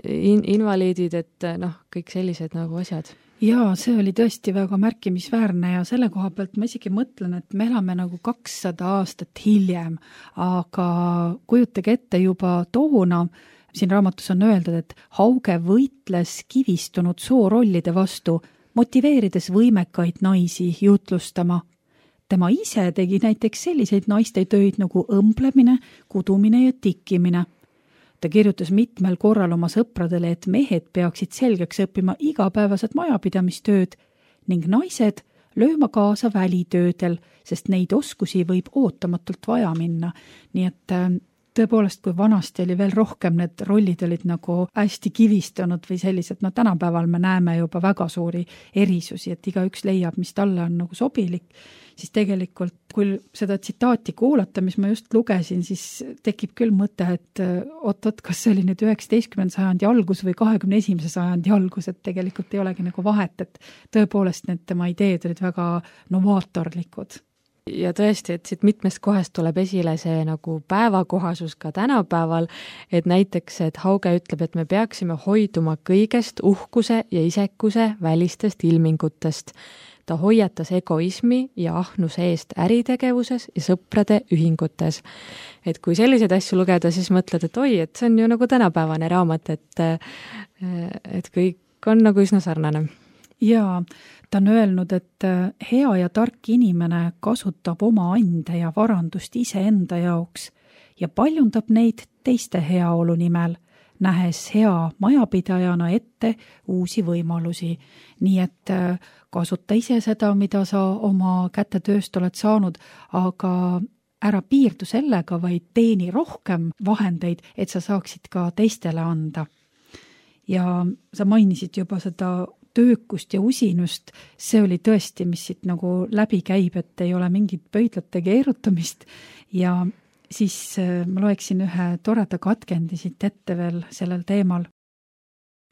Speaker 3: in- invaliidid, et noh, kõik sellised nagu asjad.
Speaker 2: Jaa, see oli tõesti väga märkimisväärne ja selle koha pealt ma isegi mõtlen, et me elame nagu kakssada aastat hiljem, aga kujutage ette juba toona, siin raamatus on öeldud, et Hauge võitles kivistunud soorollide vastu, motiveerides võimekaid naisi jutlustama. Tema ise tegi näiteks selliseid naiste töid nagu õmblemine, kudumine ja tikkimine. Ta kirjutas mitmel korral oma sõpradele, et mehed peaksid selgeks õppima igapäevased majapidamistööd ning naised lööma kaasa välitöödel, sest neid oskusi võib ootamatult vaja minna. Nii et tõepoolest, kui vanasti oli veel rohkem, need rollid olid nagu hästi kivistunud või sellised, no tänapäeval me näeme juba väga suuri erisusi, et igaüks leiab, mis talle on nagu sobilik, siis tegelikult, kui seda tsitaati kuulata, mis ma just lugesin, siis tekib küll mõte, et oot-oot, kas see oli nüüd üheksateistkümnenda sajandi algus või kahekümne esimese sajandi algus, et tegelikult ei olegi nagu vahet, et tõepoolest need tema ideed olid väga novaatorlikud.
Speaker 3: Ja tõesti, et siit mitmest kohast tuleb esile see nagu päevakohasus ka tänapäeval, et näiteks, et Hauge ütleb, et me peaksime hoiduma kõigest uhkuse ja isekuse välistest ilmingutest. Ta hoiatas egoismi ja ahnuse eest äritegevuses ja sõprade ühingutes. Et kui selliseid asju lugeda, siis mõtled, et oi, et see on ju nagu tänapäevane raamat, et, et kõik on nagu üsna sarnane.
Speaker 2: Jaa, ta on öelnud, et hea ja tark inimene kasutab oma ande ja varandust iseenda jaoks ja paljundab neid teiste heaolu nimel, nähes hea majapidajana ette uusi võimalusi. Nii et kasuta ise seda, mida sa oma kätetööst oled saanud, aga ära piirdu sellega, vaid teeni rohkem vahendeid, et sa saaksid ka teistele anda. Ja sa mainisid juba seda töökust ja usinust, see oli tõesti, mis siit nagu läbi käib, et ei ole mingit pöidlate keerutamist ja siis ma loeksin ühe toreda katkendi siit ette veel sellel teemal.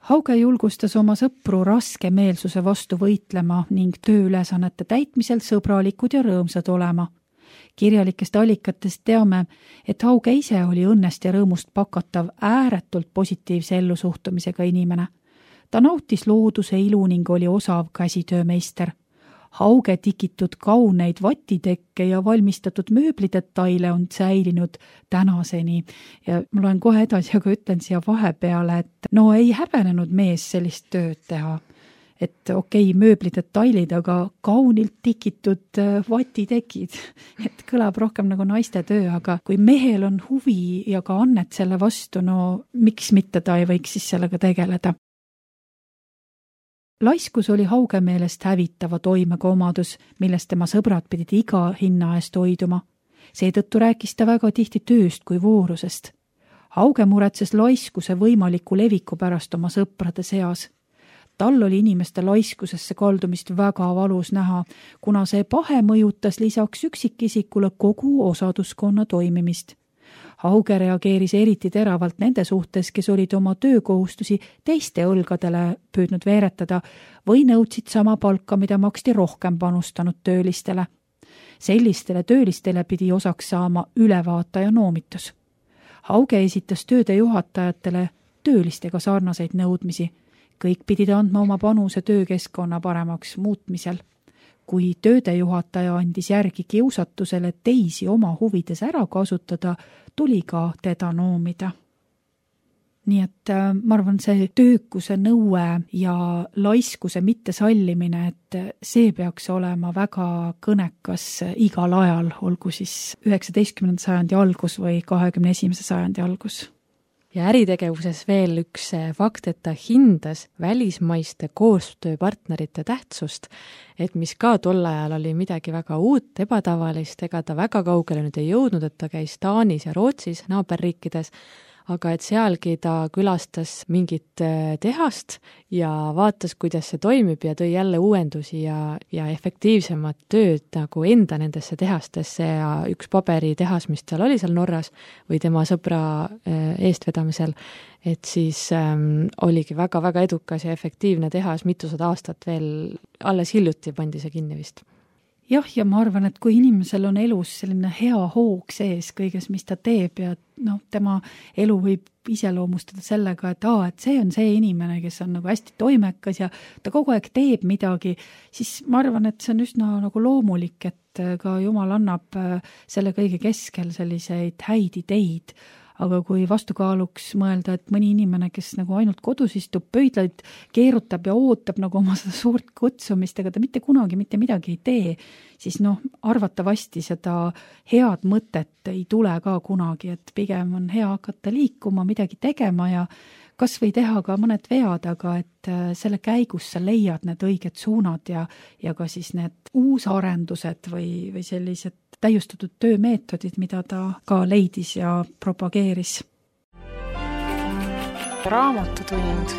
Speaker 2: Hauge julgustas oma sõpru raske meelsuse vastu võitlema ning tööülesannete täitmisel sõbralikud ja rõõmsad olema. Kirjalikest allikatest teame, et Hauge ise oli õnnest ja rõõmust pakatav ääretult positiivse ellusuhtumisega inimene. Ta nautis looduse ilu ning oli osav käsitöömeister. Hauge tikitud kauneid vatitekke ja valmistatud mööblidetaile on säilinud tänaseni. Ja ma loen kohe edasi, aga ütlen siia vahepeale, et no ei häbenenud mees sellist tööd teha. Et okei, mööblidetailid, aga kaunilt tikitud vatitekid. Et kõlab rohkem nagu naiste töö, aga kui mehel on huvi ja ka annet selle vastu, no miks mitte ta ei võiks siis sellega tegeleda? Laiskus oli Hauge meelest hävitava toimega omadus, millest tema sõbrad pidid iga hinna eest hoiduma. Seetõttu rääkis ta väga tihti tööst kui voorusest. Hauge muretses laiskuse võimaliku leviku pärast oma sõprade seas. Tal oli inimeste laiskusesse kaldumist väga valus näha, kuna see pahe mõjutas lisaks üksikisikule kogu osaduskonna toimimist. Hauge reageeris eriti teravalt nende suhtes, kes olid oma töökohustusi teiste õlgadele püüdnud veeretada või nõudsid sama palka, mida maksti rohkem panustanud töölistele. Sellistele töölistele pidi osaks saama ülevaataja noomitus. Hauge esitas tööde juhatajatele töölistega sarnaseid nõudmisi. Kõik pidid andma oma panuse töökeskkonna paremaks muutmisel. Kui tööde juhataja andis järgi kiusatusele teisi oma huvides ära kasutada, tuli ka teda noomida. Nii et ma arvan, see töökuse nõue ja laiskuse mittesallimine, et see peaks olema väga kõnekas igal ajal, olgu siis üheksateistkümnenda sajandi algus või kahekümne esimese sajandi algus.
Speaker 3: Ja äritegevuses veel üks fakt, et ta hindas välismaiste koostööpartnerite tähtsust, et mis ka tol ajal oli midagi väga uut, ebatavalist, ega ta väga kaugele nüüd ei jõudnud, et ta käis Taanis ja Rootsis, naaberriikides, aga et sealgi ta külastas mingit tehast ja vaatas, kuidas see toimib ja tõi jälle uuendusi ja, ja efektiivsemat tööd nagu enda nendesse tehastesse ja üks paberitehas, mis seal oli seal Norras või tema sõbra eestvedamisel, et siis ähm, oligi väga-väga edukas ja efektiivne tehas, mitusada aastat veel alles hiljuti pandi see kinni vist.
Speaker 2: Jah, ja ma arvan, et kui inimesel on elus selline hea hoog sees kõiges, mis ta teeb ja no, tema elu võib iseloomustada sellega, et, aa, et see on see inimene, kes on nagu hästi toimekas ja ta kogu aeg teeb midagi, siis ma arvan, et see on üsna nagu loomulik, et ka Jumal annab selle kõige keskel selliseid häid ideid. Aga kui vastukaaluks mõelda, et mõni inimene, kes nagu ainult kodus istub, pöidlaid keerutab ja ootab nagu oma seda suurt kutsumist, ega ta mitte kunagi mitte midagi ei tee, siis noh, arvatavasti seda head mõtet ei tule ka kunagi, et pigem on hea hakata liikuma, midagi tegema ja kas või teha ka mõned vead, aga et selle käigus sa leiad need õiged suunad ja, ja ka siis need uusarendused või, või sellised täiustatud töömeetodid, mida ta ka leidis ja propageeris.
Speaker 5: Raamatutund.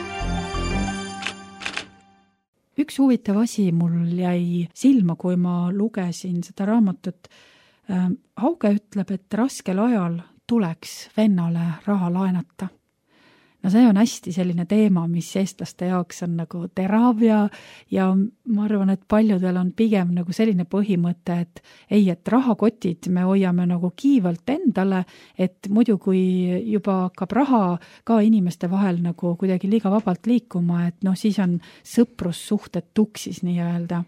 Speaker 2: Üks huvitav asi mul jäi silma, kui ma lugesin seda raamatut. Hauge ütleb, et raskel ajal tuleks vennale raha laenata. No see on hästi selline teema, mis eestlaste jaoks on nagu terav ja, ja ma arvan, et paljudel on pigem nagu selline põhimõte, et ei, et rahakotid me hoiame nagu kiivalt endale, et muidu kui juba hakkab raha ka inimeste vahel nagu kuidagi liiga vabalt liikuma, et noh, siis on sõprussuhted tuksis nii-öelda.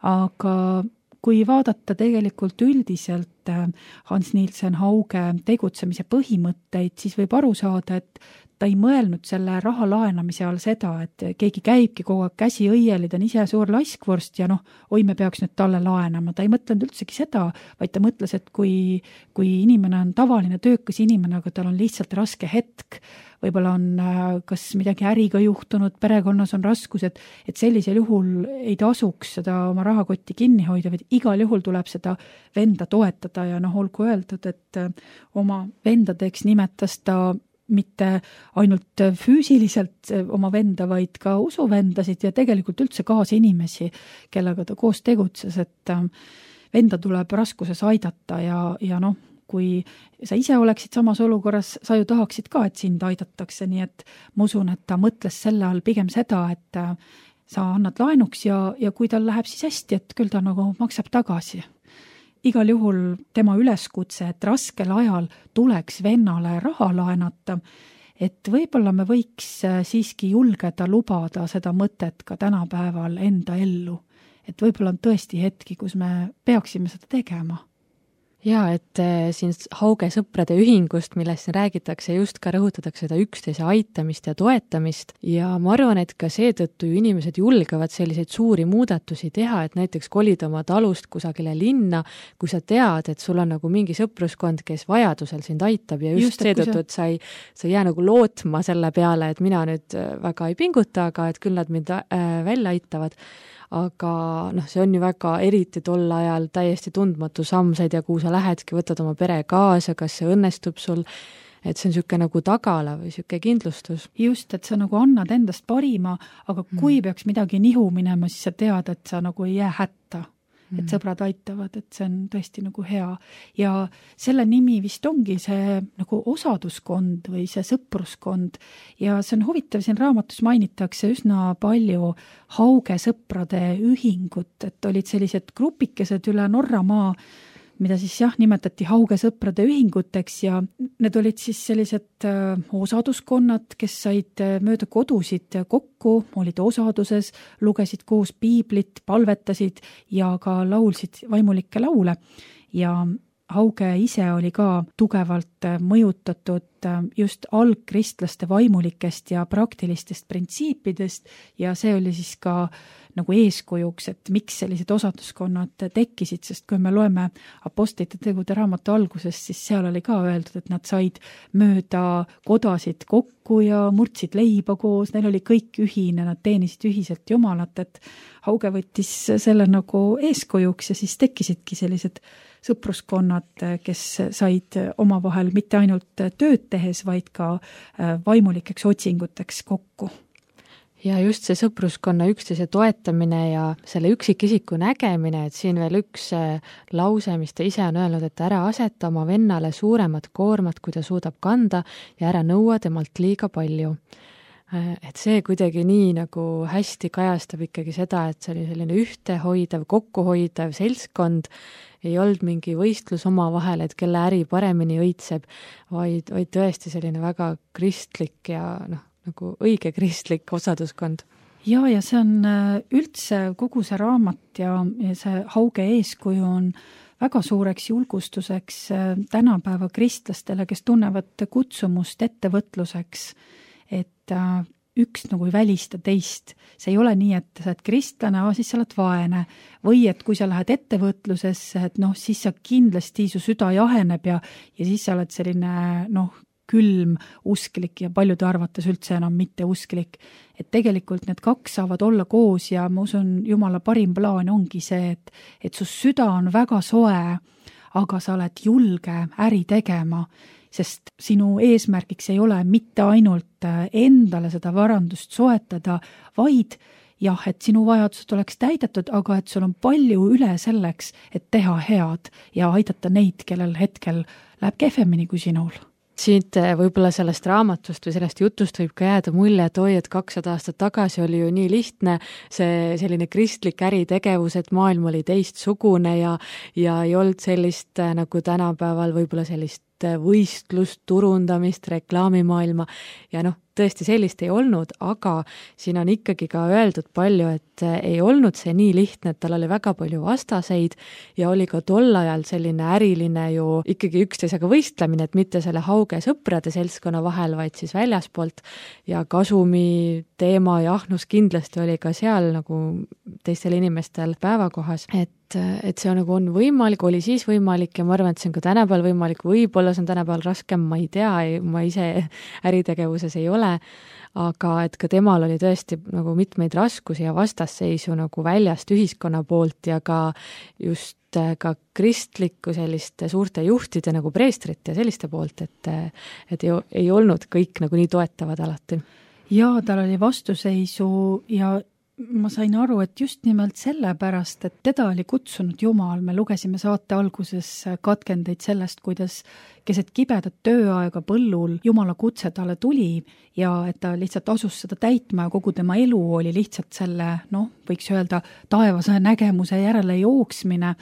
Speaker 2: Aga kui vaadata tegelikult üldiselt Hans Nielsen Hauge tegutsemise põhimõtteid, siis võib aru saada, et ta ei mõelnud selle raha laenamise all seda, et keegi käibki kogu aeg käsi õieli, ta on ise suur laskvorst ja noh, oi, me peaks nüüd talle laenama. Ta ei mõtlenud üldsegi seda, vaid ta mõtles, et kui, kui inimene on tavaline töökas inimene, aga tal on lihtsalt raske hetk, võib-olla on kas midagi äriga juhtunud, perekonnas on raskused, et sellisel juhul ei tasuks seda oma rahakotti kinni hoida, vaid igal juhul tuleb seda venda toetada ja noh, olgu öeldud, et oma vendadeks nimetas ta mitte ainult füüsiliselt oma venda, vaid ka usuvendasid ja tegelikult üldse kaasinimesi, kellega ta koos tegutses, et venda tuleb raskuses aidata ja, ja noh, kui sa ise oleksid samas olukorras, sa ju tahaksid ka, et sind aidatakse, nii et ma usun, et ta mõtles selle all pigem seda, et sa annad laenuks ja, ja kui tal läheb siis hästi, et küll ta nagu maksab tagasi. Igal juhul tema üleskutse, et raskel ajal tuleks vennale raha laenata, et võib-olla me võiks siiski julgeda lubada seda mõtet ka tänapäeval enda ellu. Et võib-olla on tõesti hetki, kus me peaksime seda tegema.
Speaker 3: Jaa, et siin Hauge sõprade ühingust, millest siin räägitakse, just ka rõhutatakse seda üksteise aitamist ja toetamist ja ma arvan, et ka seetõttu ju inimesed julgevad selliseid suuri muudatusi teha, et näiteks kolida oma talust kusagile linna, kui sa tead, et sul on nagu mingi sõpruskond, kes vajadusel sind aitab ja just, just seetõttu, et sa ei, sa ei jää nagu lootma selle peale, et mina nüüd väga ei pinguta, aga et küll nad mind välja aitavad. Aga noh, see on ju väga eriti tol ajal täiesti tundmatu samm, sa ei tea, kuhu sa lähedki, võtad oma pere kaasa, kas see õnnestub sul, et see on niisugune nagu tagala või niisugune kindlustus.
Speaker 2: Just, et sa nagu annad endast parima, aga kui mm. peaks midagi nihu minema, siis sa tead, et sa nagu ei jää hätta. Et sõbrad aitavad, et see on tõesti nagu hea. Ja selle nimi vist ongi see nagu osaduskond või see sõpruskond. Ja see on huvitav, siin raamatus mainitakse üsna palju Hauge sõprade ühingut, et olid sellised grupikesed üle Norramaa, mida siis jah, nimetati Hauge sõprade ühinguteks ja need olid siis sellised äh, osaduskonnad, kes said mööda kodusid kokku, olid osaduses, lugesid koos piiblit, palvetasid ja ka laulsid vaimulikke laule ja Hauge ise oli ka tugevalt mõjutatud just algkristlaste vaimulikest ja praktilistest printsiipidest ja see oli siis ka nagu eeskujuks, et miks sellised osaduskonnad tekkisid, sest kui me loeme apostlite tegude raamatu alguses, siis seal oli ka öeldud, et nad said mööda kodasid kokku ja murdsid leiba koos, neil oli kõik ühine, nad teenisid ühiselt Jumalat, et Hauge võttis selle nagu eeskujuks ja siis tekkisidki sellised sõpruskonnad, kes said omavahel mitte ainult tööd tehes, vaid ka vaimulikeks otsinguteks kokku.
Speaker 3: Ja just see sõpruskonna üksteise toetamine ja selle üksikisiku nägemine, et siin veel üks lause, mis ta ise on öelnud, et ära aseta oma vennale suuremat koormat, kui ta suudab kanda ja ära nõua temalt liiga palju. Et see kuidagi nii nagu hästi kajastab ikkagi seda, et see oli selline ühtehoidev, kokkuhoidev seltskond, ei olnud mingi võistlus oma vahel, et kelle äri paremini õitseb, vaid, vaid tõesti selline väga kristlik ja noh, nagu õige kristlik osaduskond.
Speaker 2: Ja, ja see on üldse kogu see raamat ja, ja see Hauge eeskuju on väga suureks julgustuseks tänapäeva kristlastele, kes tunnevad kutsumust ettevõtluseks, et üks nagu ei välista teist. See ei ole nii, et sa oled kristlane, siis sa oled vaene. Või et kui sa lähed ettevõtlusesse, et noh, siis sa kindlasti su süda jaheneb ja, ja siis sa oled selline noh, külm usklik ja paljude arvates üldse enam mitte usklik. Et tegelikult need kaks saavad olla koos ja ma usun, Jumala parim plaan ongi see, et, et su süda on väga soe, aga sa oled julge äri tegema, sest sinu eesmärgiks ei ole mitte ainult endale seda varandust soetada, vaid jah, et sinu vajadused oleks täidetud, aga et sul on palju üle selleks, et teha head ja aidata neid, kellel hetkel läheb kehvemini kui sinul.
Speaker 3: Siit võib-olla sellest raamatust või sellest jutust võib ka jääda mulje, et oi, et kakssada aastat tagasi oli ju nii lihtne see selline kristlik äritegevus, et maailm oli teistsugune ja, ja ei olnud sellist nagu tänapäeval võib-olla sellist võistlust, turundamist, reklaamimaailma ja noh, tõesti sellist ei olnud, aga siin on ikkagi ka öeldud palju, et ei olnud see nii lihtne, et tal oli väga palju vastaseid ja oli ka tol ajal selline äriline ju ikkagi üksteisega võistlemine, et mitte selle Hauge sõprade seltskonna vahel, vaid siis väljaspoolt ja kasumi teema ja ahnus kindlasti oli ka seal nagu teistel inimestel päevakohas, et et see nagu on võimalik, oli siis võimalik ja ma arvan, et see on ka tänapäeval võimalik, võib-olla see on tänapäeval raskem, ma ei tea, ma ise äritegevuses ei ole, aga et ka temal oli tõesti nagu mitmeid raskusi ja vastasseisu nagu väljast ühiskonna poolt ja ka just ka kristlikku selliste suurte juhtide nagu preestrit ja selliste poolt, et, et ei, ei olnud kõik nagu nii toetavad alati.
Speaker 2: Jaa, tal oli vastuseisu ja ma sain aru, et just nimelt sellepärast, et teda oli kutsunud Jumal, me lugesime saate alguses katkendeid sellest, kuidas keset kibedat tööaega põllul Jumala kutse talle tuli ja et ta lihtsalt asus seda täitma ja kogu tema elu oli lihtsalt selle, noh, võiks öelda, taevase nägemuse järele jooksmine,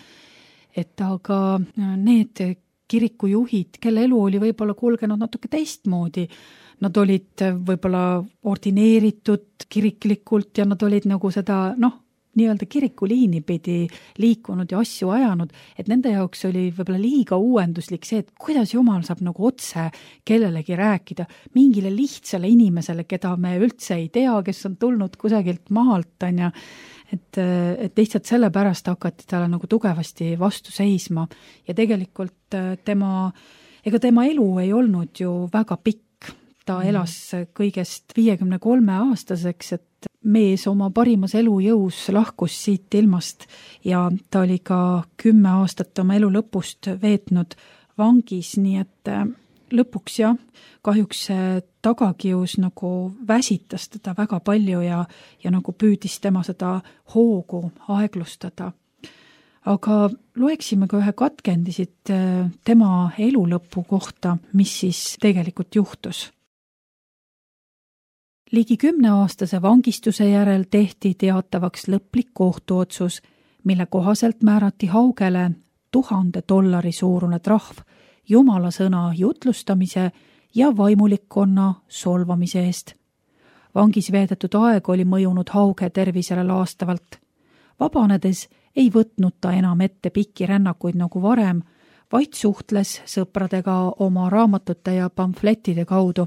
Speaker 2: et aga need kirikujuhid, kelle elu oli võib-olla kulgenud natuke teistmoodi, nad olid võib-olla ordineeritud kiriklikult ja nad olid nagu seda, noh, nii-öelda kirikuliini pidi liikunud ja asju ajanud, et nende jaoks oli võib-olla liiga uuenduslik see, et kuidas Jumal saab nagu otse kellelegi rääkida, mingile lihtsale inimesele, keda me üldse ei tea, kes on tulnud kusagilt maalt, on ja, et, et lihtsalt sellepärast hakati talle nagu tugevasti vastu seisma ja tegelikult tema, ega tema elu ei olnud ju väga pikk. Ta elas kõigest viiekümne kolme aastaseks, et mees oma parimas elujõus lahkus siit ilmast ja ta oli ka kümme aastat oma elu lõpust veetnud vangis, nii et lõpuks jah, kahjuks see tagakius nagu väsitas teda väga palju ja, ja nagu püüdis tema seda hoogu aeglustada. Aga loeksime ka ühe katkendisid tema elu lõpu kohta, mis siis tegelikult juhtus. Ligi kümneaastase vangistuse järel tehti teatavaks lõplik kohtuotsus, mille kohaselt määrati Haugele tuhande dollari suurune trahv Jumala sõna jutlustamise ja vaimulikkonna solvamise eest. Vangis veedetud aeg oli mõjunud Hauge tervisele laastavalt. Vabanedes ei võtnud ta enam ette pikki rännakuid nagu varem, vaid suhtles sõpradega oma raamatute ja pamflettide kaudu,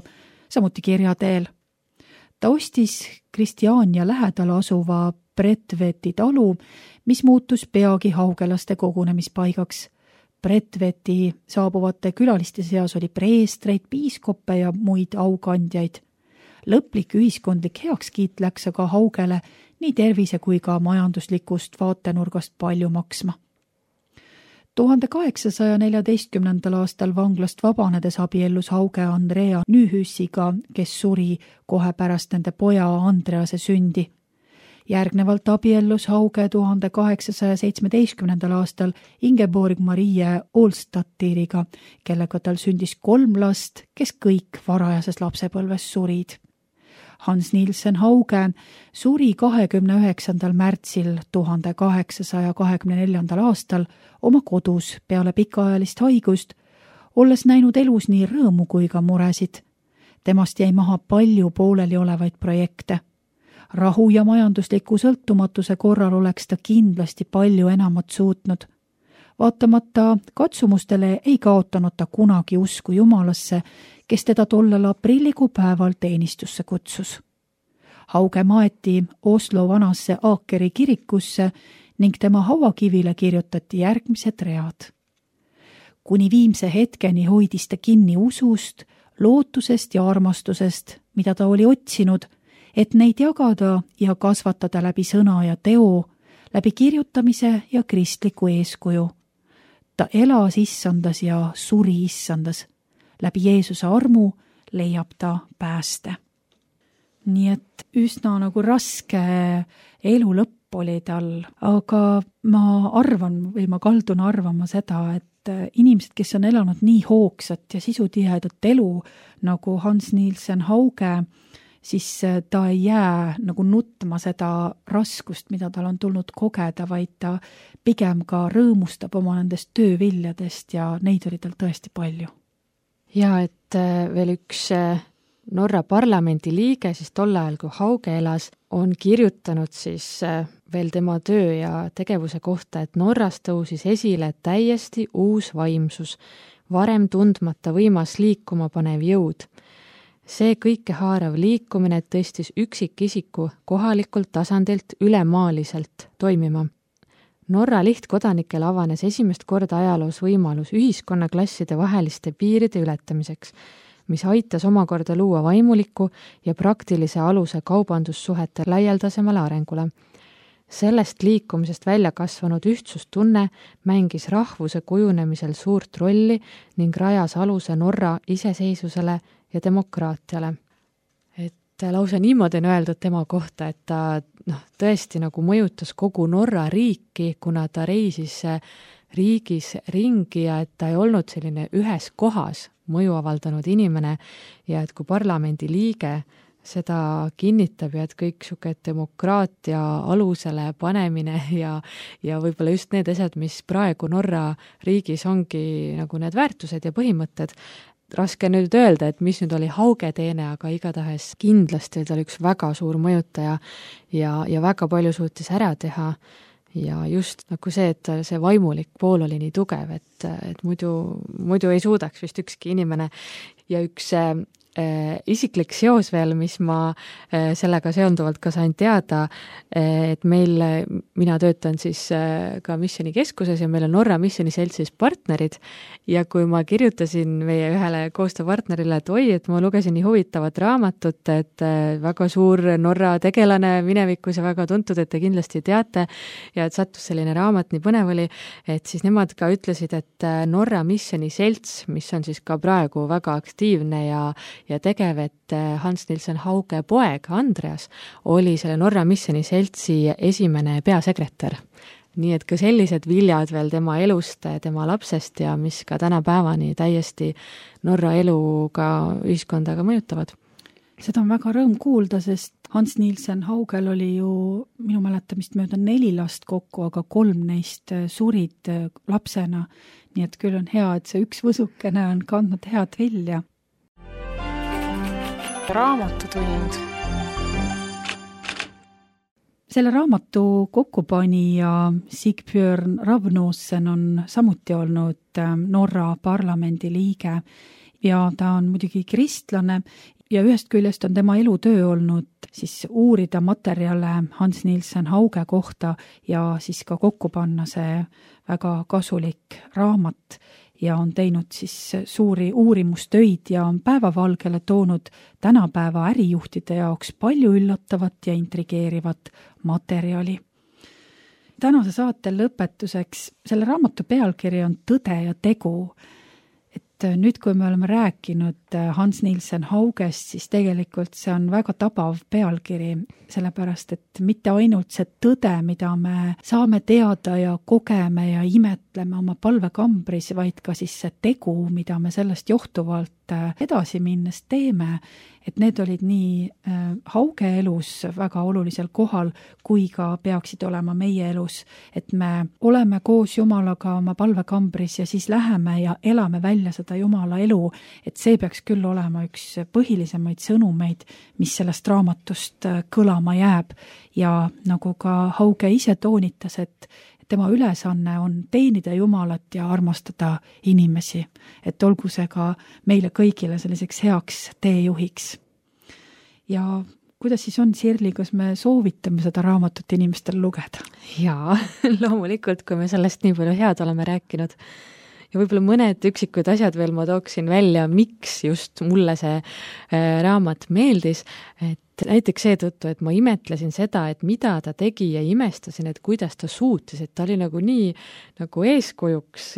Speaker 2: samuti kirja teel. Ta ostis Kristiania lähedal asuva Bredtveti talu, mis muutus peagi haugelaste kogunemispaigaks. Bredtveti saabuvate külaliste seas oli preestreid, piiskoppe ja muid aukandjaid. Lõplik ühiskondlik heakskiit läks aga Haugele nii tervise kui ka majanduslikust vaatenurgast palju maksma. tuhande kaheksasaja neljateistkümnendal aastal vanglast vabanedes abiellus Hauge Andrea Nühüssiga, kes suri kohe pärast nende poja Andrease sündi. Järgnevalt abiellus Hauge tuhande kaheksasaja seitsmeteistkümnendal aastal Ingeborg Marie Olstatiriga, kellega tal sündis kolm last, kes kõik varajases lapsepõlves surid. Hans Nielsen Hauge suri kahekümne üheksandal märtsil tuhande kaheksasaja kahekümne neljandal aastal oma kodus peale pikaajalist haigust, olles näinud elus nii rõõmu kui ka muresid. Temast jäi maha palju pooleli olevaid projekte. Rahu ja majandusliku sõltumatuse korral oleks ta kindlasti palju enamat suutnud. Vaatamata katsumustele ei kaotanud ta kunagi usku Jumalasse, kes teda tollel aprillikuu päeval teenistusse kutsus. Hauge maeti Oslo vanasse Aakeri kirikusse ning tema hauakivile kirjutati järgmised read. Kuni viimse hetkeni hoidis ta kinni usust, lootusest ja armastusest, mida ta oli otsinud, et neid jagada ja kasvatada läbi sõna ja teo, läbi kirjutamise ja kristliku eeskuju. Ta elas issandas ja suri issandas. Läbi Jeesuse armu leiab ta pääste. Nii et üsna nagu raske elu lõpp oli tal, aga ma arvan või ma kaldun arvama seda, et inimesed, kes on elanud nii hoogsat ja sisutihedat elu nagu Hans Nielsen Hauge, siis ta ei jää nagu nutma seda raskust, mida tal on tulnud kogeda, vaid ta pigem ka rõõmustab oma nendest tööviljadest ja neid oli tal tõesti palju.
Speaker 3: Ja et veel üks Norra parlamendi liige, siis tol ajal, kui Hauge elas, on kirjutanud siis veel tema töö ja tegevuse kohta, et Norras tõusis esile täiesti uus vaimsus, varem tundmata võimas liikuma panev jõud. See kõikehaarav liikumine tõstis üksikisiku kohalikult tasandilt ülemaaliselt toimima. Norra lihtkodanikel avanes esimest korda ajaloos võimalus ühiskonnaklasside vaheliste piiride ületamiseks, mis aitas omakorda luua vaimuliku ja praktilise aluse kaubandussuhete laialdasemale arengule. sellest liikumisest välja kasvanud ühtsustunne mängis rahvuse kujunemisel suurt rolli ning rajas aluse Norra iseseisvusele ja demokraatiale. Et lausa niimoodi on öeldud tema kohta, et ta noh, tõesti nagu mõjutas kogu Norra riiki, kuna ta reisis riigis ringi ja et ta ei olnud selline ühes kohas mõju avaldanud inimene ja et kui parlamendi liige seda kinnitab ja et kõik siuke demokraatia alusele panemine ja, ja võib-olla just need asjad, mis praegu Norra riigis ongi nagu need väärtused ja põhimõtted. Raske nüüd öelda, et mis nüüd oli Hauge teene, aga igatahes kindlasti ta oli üks väga suur mõjutaja ja, ja väga palju suutis ära teha ja just nagu see, et see vaimulik pool oli nii tugev, et, et muidu, muidu ei suudaks vist ükski inimene ja üks äh, isiklik seos veel, mis ma äh, sellega seonduvalt ka sain teada, äh, et meil, mina töötan siis äh, ka missioonikeskuses ja meil on Norra missioniseltsis partnerid ja kui ma kirjutasin meie ühele koostööpartnerile, et oi, et ma lugesin nii huvitavat raamatut, et äh, väga suur Norra tegelane minevikus ja väga tuntud, et te kindlasti teate ja et sattus selline raamat, nii põnev oli, et siis nemad ka ütlesid, et Norra missioniselts, mis on siis ka praegu väga aktiivne ja ja tegev, et Hans Nilsen Hauge poeg Andreas oli selle Norra missioniseltsi esimene peasekretär. Nii et ka sellised viljad veel tema elust, tema lapsest ja mis ka tänapäevani täiesti Norra eluga ühiskondaga mõjutavad.
Speaker 2: Seda on väga rõõm kuulda, sest Hans Nilsen Haugel oli ju minu mäletamist mööda neli last kokku, aga kolm neist surid lapsena. Nii et küll on hea, et see üks võsukene on kandnud head vilja.
Speaker 5: Raamatutund.
Speaker 2: Selle raamatu kokkupanija Sigbjörn Ravnosen on samuti olnud Norra parlamendi liige ja ta on muidugi kristlane ja ühest küljest on tema elutöö olnud siis uurida materjale Hans Nilsen Hauge kohta ja siis ka kokku panna see väga kasulik raamat ja on teinud siis suuri uurimustöid ja on päevavalgele toonud tänapäeva ärijuhtide jaoks palju üllatavat ja intrigeerivat materjali. Tänase saate lõpetuseks, selle raamatu pealkiri on Tõde ja tegu. Et nüüd, kui me oleme rääkinud Hans Nilsen Haugest, siis tegelikult see on väga tabav pealkiri, sellepärast et mitte ainult see tõde, mida me saame teada ja kogeme ja imetleme oma palvekambris, vaid ka siis see tegu, mida me sellest johtuvalt edasi minnes teeme, et need olid nii Hauge elus väga olulisel kohal, kui ka peaksid olema meie elus, et me oleme koos Jumalaga oma palvekambris ja siis läheme ja elame välja seda Jumala elu, et see peaks küll olema üks põhilisemaid sõnumeid, mis sellest raamatust kõlama jääb ja nagu ka Hauge ise toonitas, et tema ülesanne on teenida Jumalat ja armastada inimesi, et olgu see ka meile kõigile selliseks heaks teejuhiks. Ja kuidas siis on, Sirli, kas me soovitame seda raamatut inimestel lugeda?
Speaker 3: Jaa, loomulikult, kui me sellest nii palju head oleme rääkinud. Ja võib-olla mõned üksikud asjad veel ma tooksin välja, miks just mulle see raamat meeldis, et näiteks seetõttu, et ma imetlesin seda, et mida ta tegi ja imestasin, et kuidas ta suutis, et ta oli nagu nii nagu eeskujuks,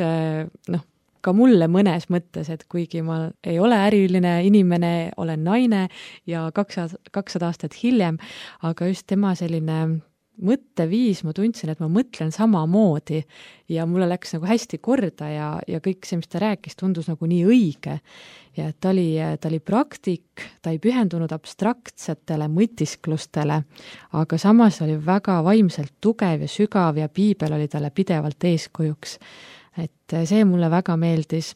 Speaker 3: noh, ka mulle mõnes mõttes, et kuigi ma ei ole äriline inimene, olen naine ja kakssada aastat hiljem, aga just tema selline mõtteviis, ma tundsin, et ma mõtlen samamoodi ja mulle läks nagu hästi korda ja, ja kõik see, mis ta rääkis, tundus nagu nii õige. Ja ta oli, ta oli praktik, ta ei pühendunud abstraktsetele mõtisklustele, aga samas oli väga vaimselt tugev ja sügav ja piibel oli talle pidevalt eeskujuks. Et see mulle väga meeldis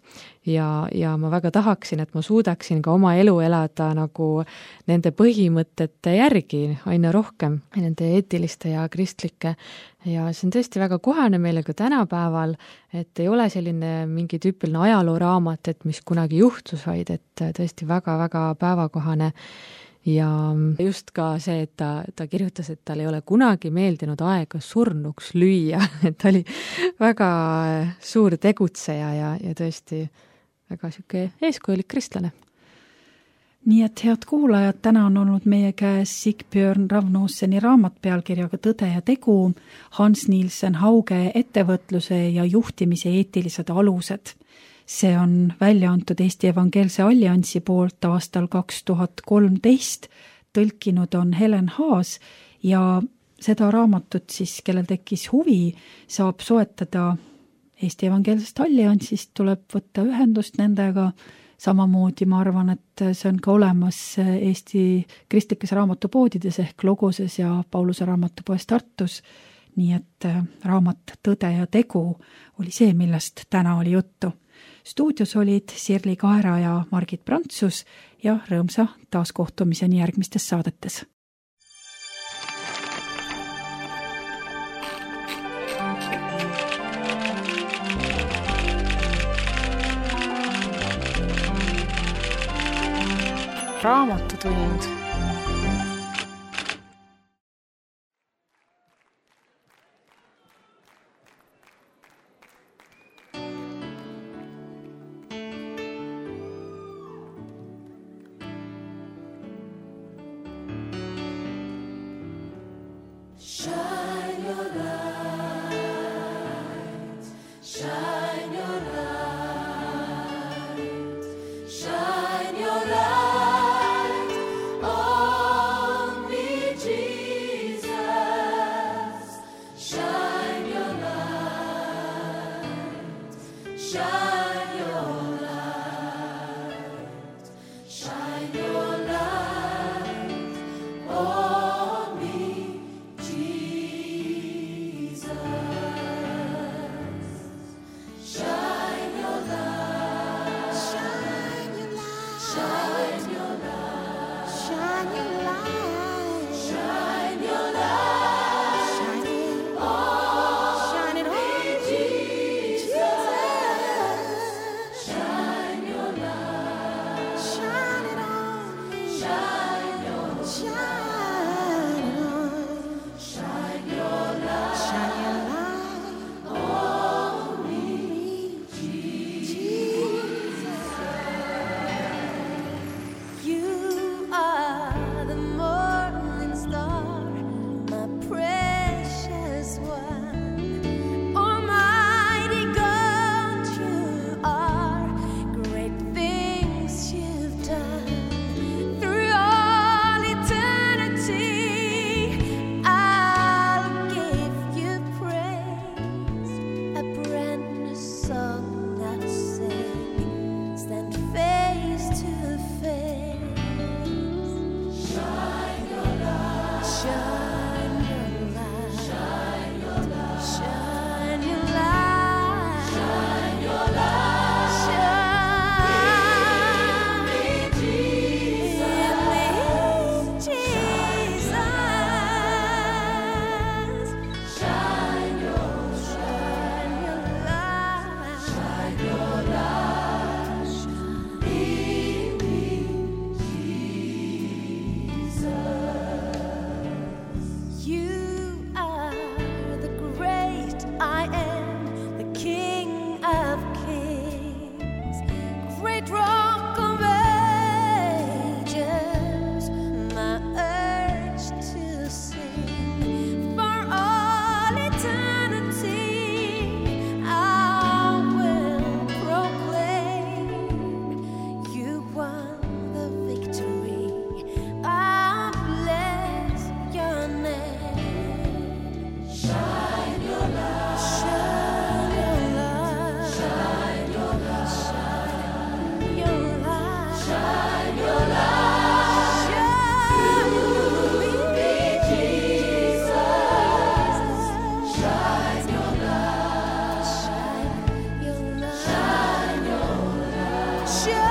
Speaker 3: ja, ja ma väga tahaksin, et ma suudaksin ka oma elu elada nagu nende põhimõtete järgi aina rohkem, nende eetiliste ja kristlike. Ja see on tõesti väga kohane meile ka tänapäeval, et ei ole selline mingi tüüpiline ajalooraamat, et mis kunagi juhtus, vaid et tõesti väga-väga päevakohane. Ja just ka see, et ta, ta kirjutas, et tal ei ole kunagi meeldinud aega surnuks lüüa, et ta oli väga suur tegutseja ja, ja tõesti väga siuke eeskujulik kristlane.
Speaker 2: nii et head kuulajad, täna on olnud meie käes Sigbjörn Ravnoosseni raamat pealkirjaga Tõde ja tegu, Hans Nielsen Hauge ettevõtluse ja juhtimise eetilised alused. See on välja antud Eesti Evangeelse Alliansi poolt aastal kaks tuhat kolmteist, tõlkinud on Helen Haas ja seda raamatut siis, kellel tekkis huvi, saab soetada Eesti Evangeelsest Alliansist, tuleb võtta ühendust nendega. Samamoodi ma arvan, et see on ka olemas Eesti kristlikes raamatupoodides ehk Logoses ja Pauluse raamatupoes Tartus. Nii et raamat Tõde ja tegu oli see, millest täna oli juttu. Stuudios olid Sirli Kaera ja Margit Prantsus ja rõõmsa taaskohtumiseni järgmistes saadetes.
Speaker 3: Raamatutund.
Speaker 4: Shine your light, shine your light, shine your light on me, Jesus. Shine your light, shine your light, shine your light on me, Jesus. Shine your light, shine your light, shine your light, shine your light, shine your light, shine it on, shine it on, Jesus. Shine your light, shine it on, shine your, shine it on, shine your light, shine your light on me, Jesus. You are the morning star, my precious one. Almighty God, you are. Great things you've done. Through all eternity, I'll give you praise. A brand new song I'll sing, stand face to face. Shine your light, shine your light, shine your light, shine your light, shine your light, shine me, Jesus, Jesus. Shine your, shine your light, shine your light, shine me, Jesus. You are the great I am, the King of kings, great Rock of Ages, my urge to sing. For all eternity, I will proclaim you won the victory. I bless your name. Shine your light, shine your light, shine your light, shine your light, shine your light, shine me, Jesus. Shine your light, shine your light, shine your light, shine.